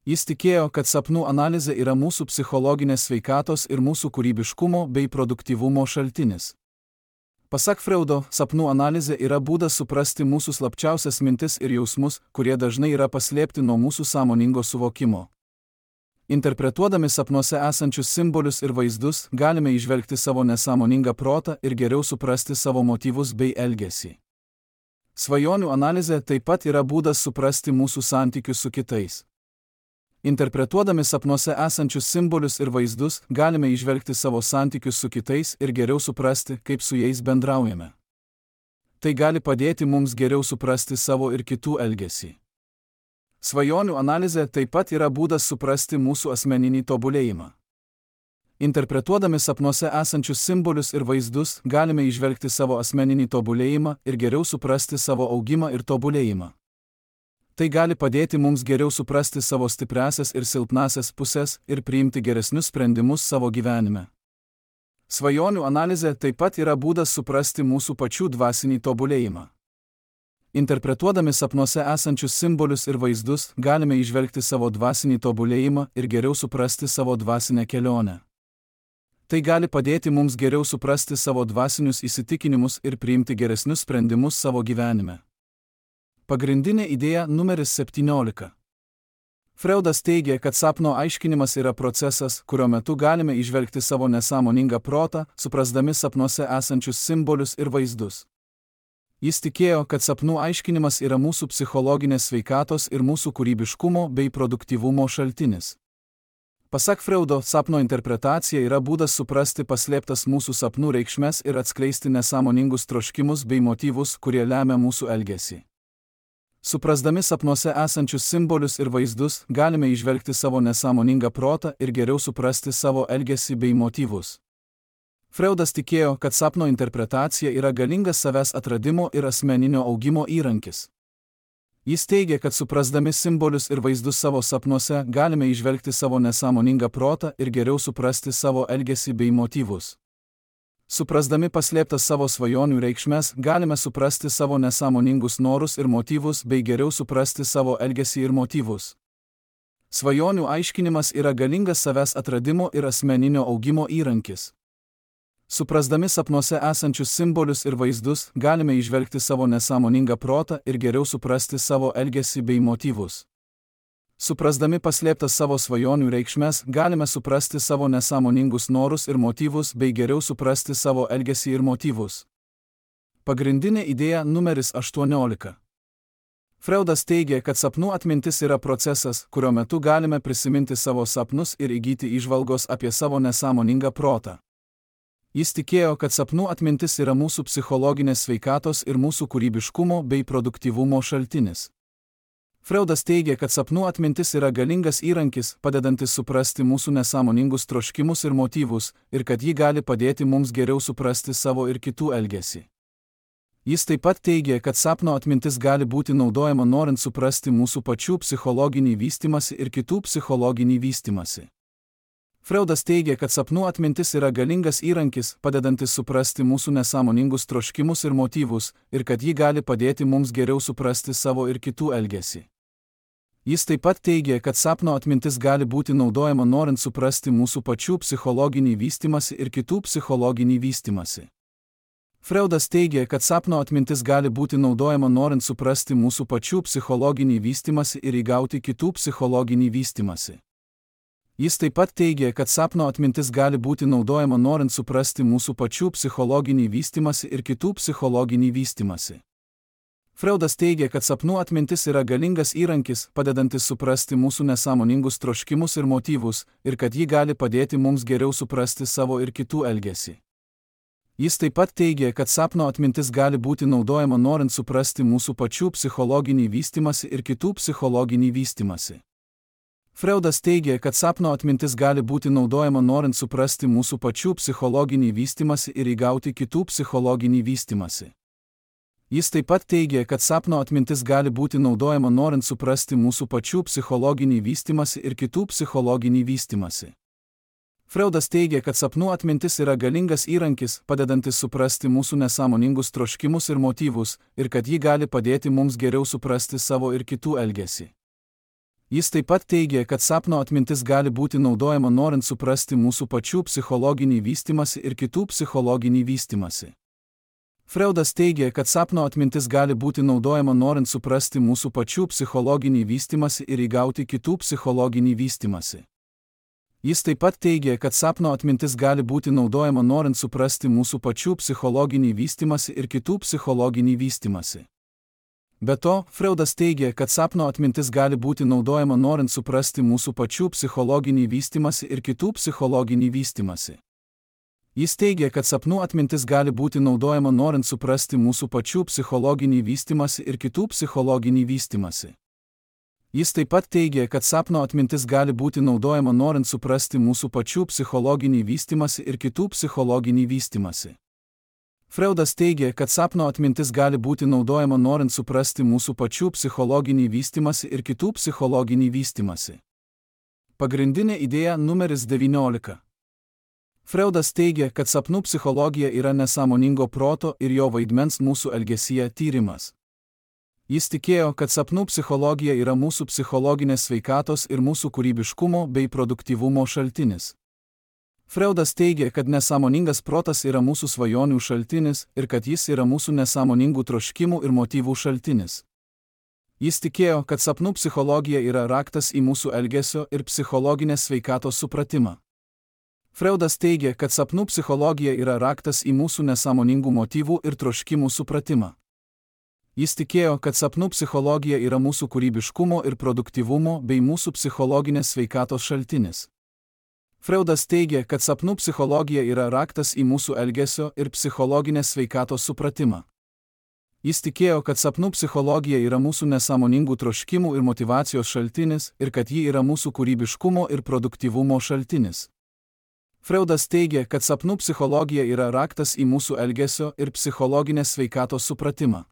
Jis tikėjo, kad sapnų analizė yra mūsų psichologinės sveikatos ir mūsų kūrybiškumo bei produktyvumo šaltinis. Pasak Freudo, sapnų analizė yra būdas suprasti mūsų slapčiausias mintis ir jausmus, kurie dažnai yra paslėpti nuo mūsų sąmoningo suvokimo. Interpretuodami sapnuose esančius simbolius ir vaizdus, galime įžvelgti savo nesąmoningą protą ir geriau suprasti savo motyvus bei elgesį. Svajonių analizė taip pat yra būdas suprasti mūsų santykius su kitais. Interpretuodami sapnuose esančius simbolius ir vaizdus, galime įžvelgti savo santykius su kitais ir geriau suprasti, kaip su jais bendraujame. Tai gali padėti mums geriau suprasti savo ir kitų elgesį. Svajonių analizė taip pat yra būdas suprasti mūsų asmeninį tobulėjimą. Interpretuodami sapnuose esančius simbolius ir vaizdus, galime įžvelgti savo asmeninį tobulėjimą ir geriau suprasti savo augimą ir tobulėjimą. Tai gali padėti mums geriau suprasti savo stipriąsias ir silpnąsias pusės ir priimti geresnius sprendimus savo gyvenime. Svajonių analizė taip pat yra būdas suprasti mūsų pačių dvasinį tobulėjimą. Interpretuodami sapnuose esančius simbolius ir vaizdus, galime įžvelgti savo dvasinį tobulėjimą ir geriau suprasti savo dvasinę kelionę. Tai gali padėti mums geriau suprasti savo dvasinius įsitikinimus ir priimti geresnius sprendimus savo gyvenime. Pagrindinė idėja numeris 17. Freudas teigia, kad sapno aiškinimas yra procesas, kurio metu galime įžvelgti savo nesąmoningą protą, suprasdami sapnuose esančius simbolius ir vaizdus. Jis tikėjo, kad sapnų aiškinimas yra mūsų psichologinės sveikatos ir mūsų kūrybiškumo bei produktyvumo šaltinis. Pasak Freudo, sapno interpretacija yra būdas suprasti paslėptas mūsų sapnų reikšmes ir atskleisti nesąmoningus troškimus bei motyvus, kurie lemia mūsų elgesį. Suprasdami sapnuose esančius simbolius ir vaizdus, galime įžvelgti savo nesąmoningą protą ir geriau suprasti savo elgesį bei motyvus. Freudas tikėjo, kad sapno interpretacija yra galingas savęs atradimo ir asmeninio augimo įrankis. Jis teigia, kad suprasdami simbolius ir vaizdus savo sapnuose, galime įžvelgti savo nesąmoningą protą ir geriau suprasti savo elgesį bei motyvus. Suprasdami paslėptas savo svajonių reikšmes, galime suprasti savo nesąmoningus norus ir motyvus bei geriau suprasti savo elgesį ir motyvus. Svajonių aiškinimas yra galingas savęs atradimo ir asmeninio augimo įrankis. Suprasdami sapnuose esančius simbolius ir vaizdus, galime įžvelgti savo nesąmoningą protą ir geriau suprasti savo elgesį bei motyvus. Suprasdami paslėptas savo svajonių reikšmes, galime suprasti savo nesąmoningus norus ir motyvus bei geriau suprasti savo elgesį ir motyvus. Pagrindinė idėja numeris 18. Freudas teigia, kad sapnų atmintis yra procesas, kurio metu galime prisiminti savo sapnus ir įgyti įžvalgos apie savo nesąmoningą protą. Jis tikėjo, kad sapnų atmintis yra mūsų psichologinės sveikatos ir mūsų kūrybiškumo bei produktyvumo šaltinis. Freudas teigia, kad sapnų atmintis yra galingas įrankis, padedantis suprasti mūsų nesąmoningus troškimus ir motyvus, ir kad ji gali padėti mums geriau suprasti savo ir kitų elgesį. Jis taip pat teigia, kad sapno atmintis gali būti naudojama norint suprasti mūsų pačių psichologinį vystymąsi ir kitų psichologinį vystymąsi. Freudas teigia, kad sapnų atmintis yra galingas įrankis, padedantis suprasti mūsų nesąmoningus troškimus ir motyvus, ir kad ji gali padėti mums geriau suprasti savo ir kitų elgesį. Jis taip pat teigia, kad sapno atmintis gali būti naudojama norint suprasti mūsų pačių psichologinį vystymąsi ir kitų psichologinį vystymąsi. Freudas teigia, kad sapno atmintis gali būti naudojama norint suprasti mūsų pačių psichologinį vystymąsi ir įgauti kitų psichologinį vystymąsi. Jis taip pat teigia, kad sapno atmintis gali būti naudojama norint suprasti mūsų pačių psichologinį vystymąsi ir kitų psichologinį vystymąsi. Freudas teigia, kad sapnų atmintis yra galingas įrankis, padedantis suprasti mūsų nesąmoningus troškimus ir motyvus, ir kad ji gali padėti mums geriau suprasti savo ir kitų elgesį. Jis taip pat teigia, kad sapno atmintis gali būti naudojama norint suprasti mūsų pačių psichologinį vystymąsi ir kitų psichologinį vystymąsi. Freudas teigia, kad sapno atmintis gali būti naudojama norint suprasti mūsų pačių psichologinį vystymąsi ir įgauti kitų psichologinį vystymąsi. Jis taip pat teigia, kad sapno atmintis gali būti naudojama norint suprasti mūsų pačių psichologinį vystymąsi ir kitų psichologinį vystymąsi. Freudas teigia, kad sapnų atmintis yra galingas įrankis, padedantis suprasti mūsų nesąmoningus troškimus ir motyvus, ir kad ji gali padėti mums geriau suprasti savo ir kitų elgesį. Jis taip pat teigia, kad sapno atmintis gali būti naudojama norint suprasti mūsų pačių psichologinį vystymąsi ir kitų psichologinį vystymąsi. Freudas teigia, kad sapno atmintis gali būti naudojama norint suprasti mūsų pačių psichologinį vystymąsi ir įgauti kitų psichologinį vystymąsi. Jis taip pat teigia, kad sapno atmintis gali būti naudojama norint suprasti mūsų pačių psichologinį vystymąsi ir kitų psichologinį vystymąsi. Be to, Freudas teigia, kad sapno atmintis gali būti naudojama norint suprasti mūsų pačių psichologinį vystymąsi ir kitų psichologinį vystymąsi. Jis teigia, kad sapnų atmintis gali būti naudojama norint suprasti mūsų pačių psichologinį vystymąsi ir kitų psichologinį vystymąsi. Jis taip pat teigia, kad sapno atmintis gali būti naudojama norint suprasti mūsų pačių psichologinį vystymąsi ir kitų psichologinį vystymąsi. Freudas teigia, kad sapno atmintis gali būti naudojama norint suprasti mūsų pačių psichologinį vystymąsi ir kitų psichologinį vystymąsi. Pagrindinė idėja numeris 19. Freudas teigia, kad sapnų psichologija yra nesąmoningo proto ir jo vaidmens mūsų elgesyje tyrimas. Jis tikėjo, kad sapnų psichologija yra mūsų psichologinės sveikatos ir mūsų kūrybiškumo bei produktyvumo šaltinis. Freudas teigia, kad nesąmoningas protas yra mūsų svajonių šaltinis ir kad jis yra mūsų nesąmoningų troškimų ir motyvų šaltinis. Jis tikėjo, kad sapnų psichologija yra raktas į mūsų elgesio ir psichologinės sveikatos supratimą. Freudas teigia, kad sapnų psichologija yra raktas į mūsų nesąmoningų motyvų ir troškimų supratimą. Jis tikėjo, kad sapnų psichologija yra mūsų kūrybiškumo ir produktyvumo bei mūsų psichologinės sveikatos šaltinis. Freudas teigia, kad sapnų psichologija yra raktas į mūsų elgesio ir psichologinės sveikatos supratimą. Jis tikėjo, kad sapnų psichologija yra mūsų nesąmoningų troškimų ir motyvacijos šaltinis ir kad ji yra mūsų kūrybiškumo ir produktyvumo šaltinis. Freudas teigia, kad sapnų psichologija yra raktas į mūsų elgesio ir psichologinės sveikatos supratimą.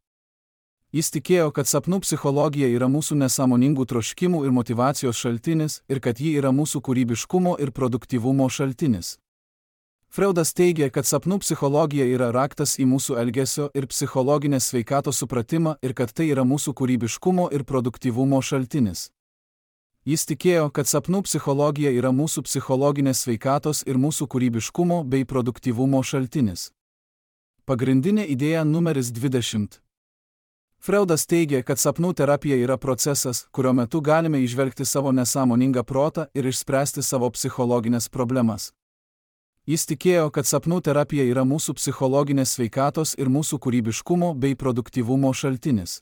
Jis tikėjo, kad sapnų psichologija yra mūsų nesąmoningų troškimų ir motyvacijos šaltinis ir kad ji yra mūsų kūrybiškumo ir produktyvumo šaltinis. Freudas teigia, kad sapnų psichologija yra raktas į mūsų elgesio ir psichologinės sveikatos supratimą ir kad tai yra mūsų kūrybiškumo ir produktyvumo šaltinis. Jis tikėjo, kad sapnų psichologija yra mūsų psichologinės sveikatos ir mūsų kūrybiškumo bei produktyvumo šaltinis. Pagrindinė idėja numeris 20. Freudas teigia, kad sapnų terapija yra procesas, kurio metu galime įžvelgti savo nesąmoningą protą ir išspręsti savo psichologinės problemas. Jis tikėjo, kad sapnų terapija yra mūsų psichologinės sveikatos ir mūsų kūrybiškumo bei produktyvumo šaltinis.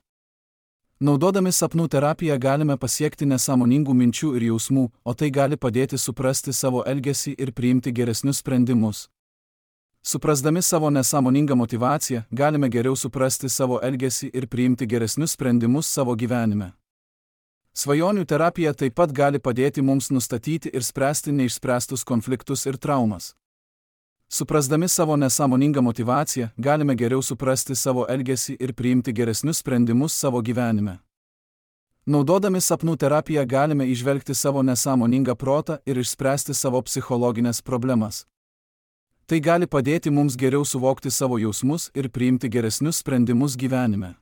Naudodami sapnų terapiją galime pasiekti nesąmoningų minčių ir jausmų, o tai gali padėti suprasti savo elgesį ir priimti geresnius sprendimus. Suprasdami savo nesąmoningą motyvaciją, galime geriau suprasti savo elgesį ir priimti geresnius sprendimus savo gyvenime. Svajonių terapija taip pat gali padėti mums nustatyti ir spręsti neišspręstus konfliktus ir traumas. Suprasdami savo nesąmoningą motyvaciją, galime geriau suprasti savo elgesį ir priimti geresnius sprendimus savo gyvenime. Naudodami sapnų terapiją galime įžvelgti savo nesąmoningą protą ir išspręsti savo psichologinės problemas. Tai gali padėti mums geriau suvokti savo jausmus ir priimti geresnius sprendimus gyvenime.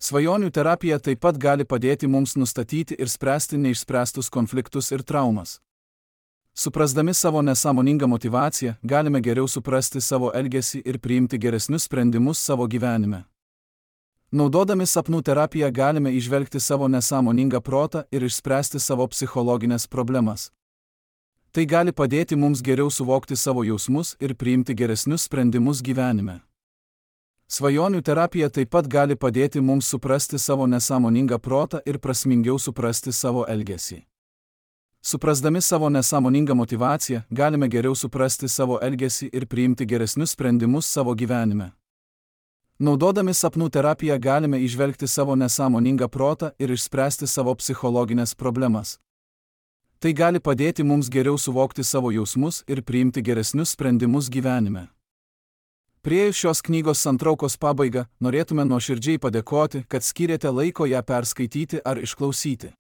Svajonių terapija taip pat gali padėti mums nustatyti ir spręsti neišspręstus konfliktus ir traumas. Suprasdami savo nesąmoningą motyvaciją, galime geriau suprasti savo elgesį ir priimti geresnius sprendimus savo gyvenime. Naudodami sapnų terapiją galime įžvelgti savo nesąmoningą protą ir išspręsti savo psichologinės problemas. Tai gali padėti mums geriau suvokti savo jausmus ir priimti geresnius sprendimus gyvenime. Svajonių terapija taip pat gali padėti mums suprasti savo nesąmoningą protą ir prasmingiau suprasti savo elgesį. Suprasdami savo nesąmoningą motyvaciją, galime geriau suprasti savo elgesį ir priimti geresnius sprendimus savo gyvenime. Naudodami sapnų terapiją galime įžvelgti savo nesąmoningą protą ir išspręsti savo psichologinės problemas. Tai gali padėti mums geriau suvokti savo jausmus ir priimti geresnius sprendimus gyvenime. Priėjus šios knygos santraukos pabaigą, norėtume nuoširdžiai padėkoti, kad skyrėte laiko ją perskaityti ar išklausyti.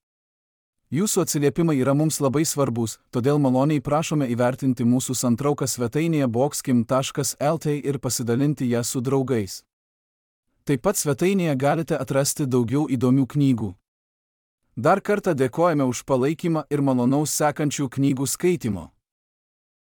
Jūsų atsiliepimai yra mums labai svarbus, todėl maloniai prašome įvertinti mūsų santrauką svetainėje boxkim.lt ir pasidalinti ją su draugais. Taip pat svetainėje galite atrasti daugiau įdomių knygų. Dar kartą dėkojame už palaikymą ir malonaus sekančių knygų skaitymo.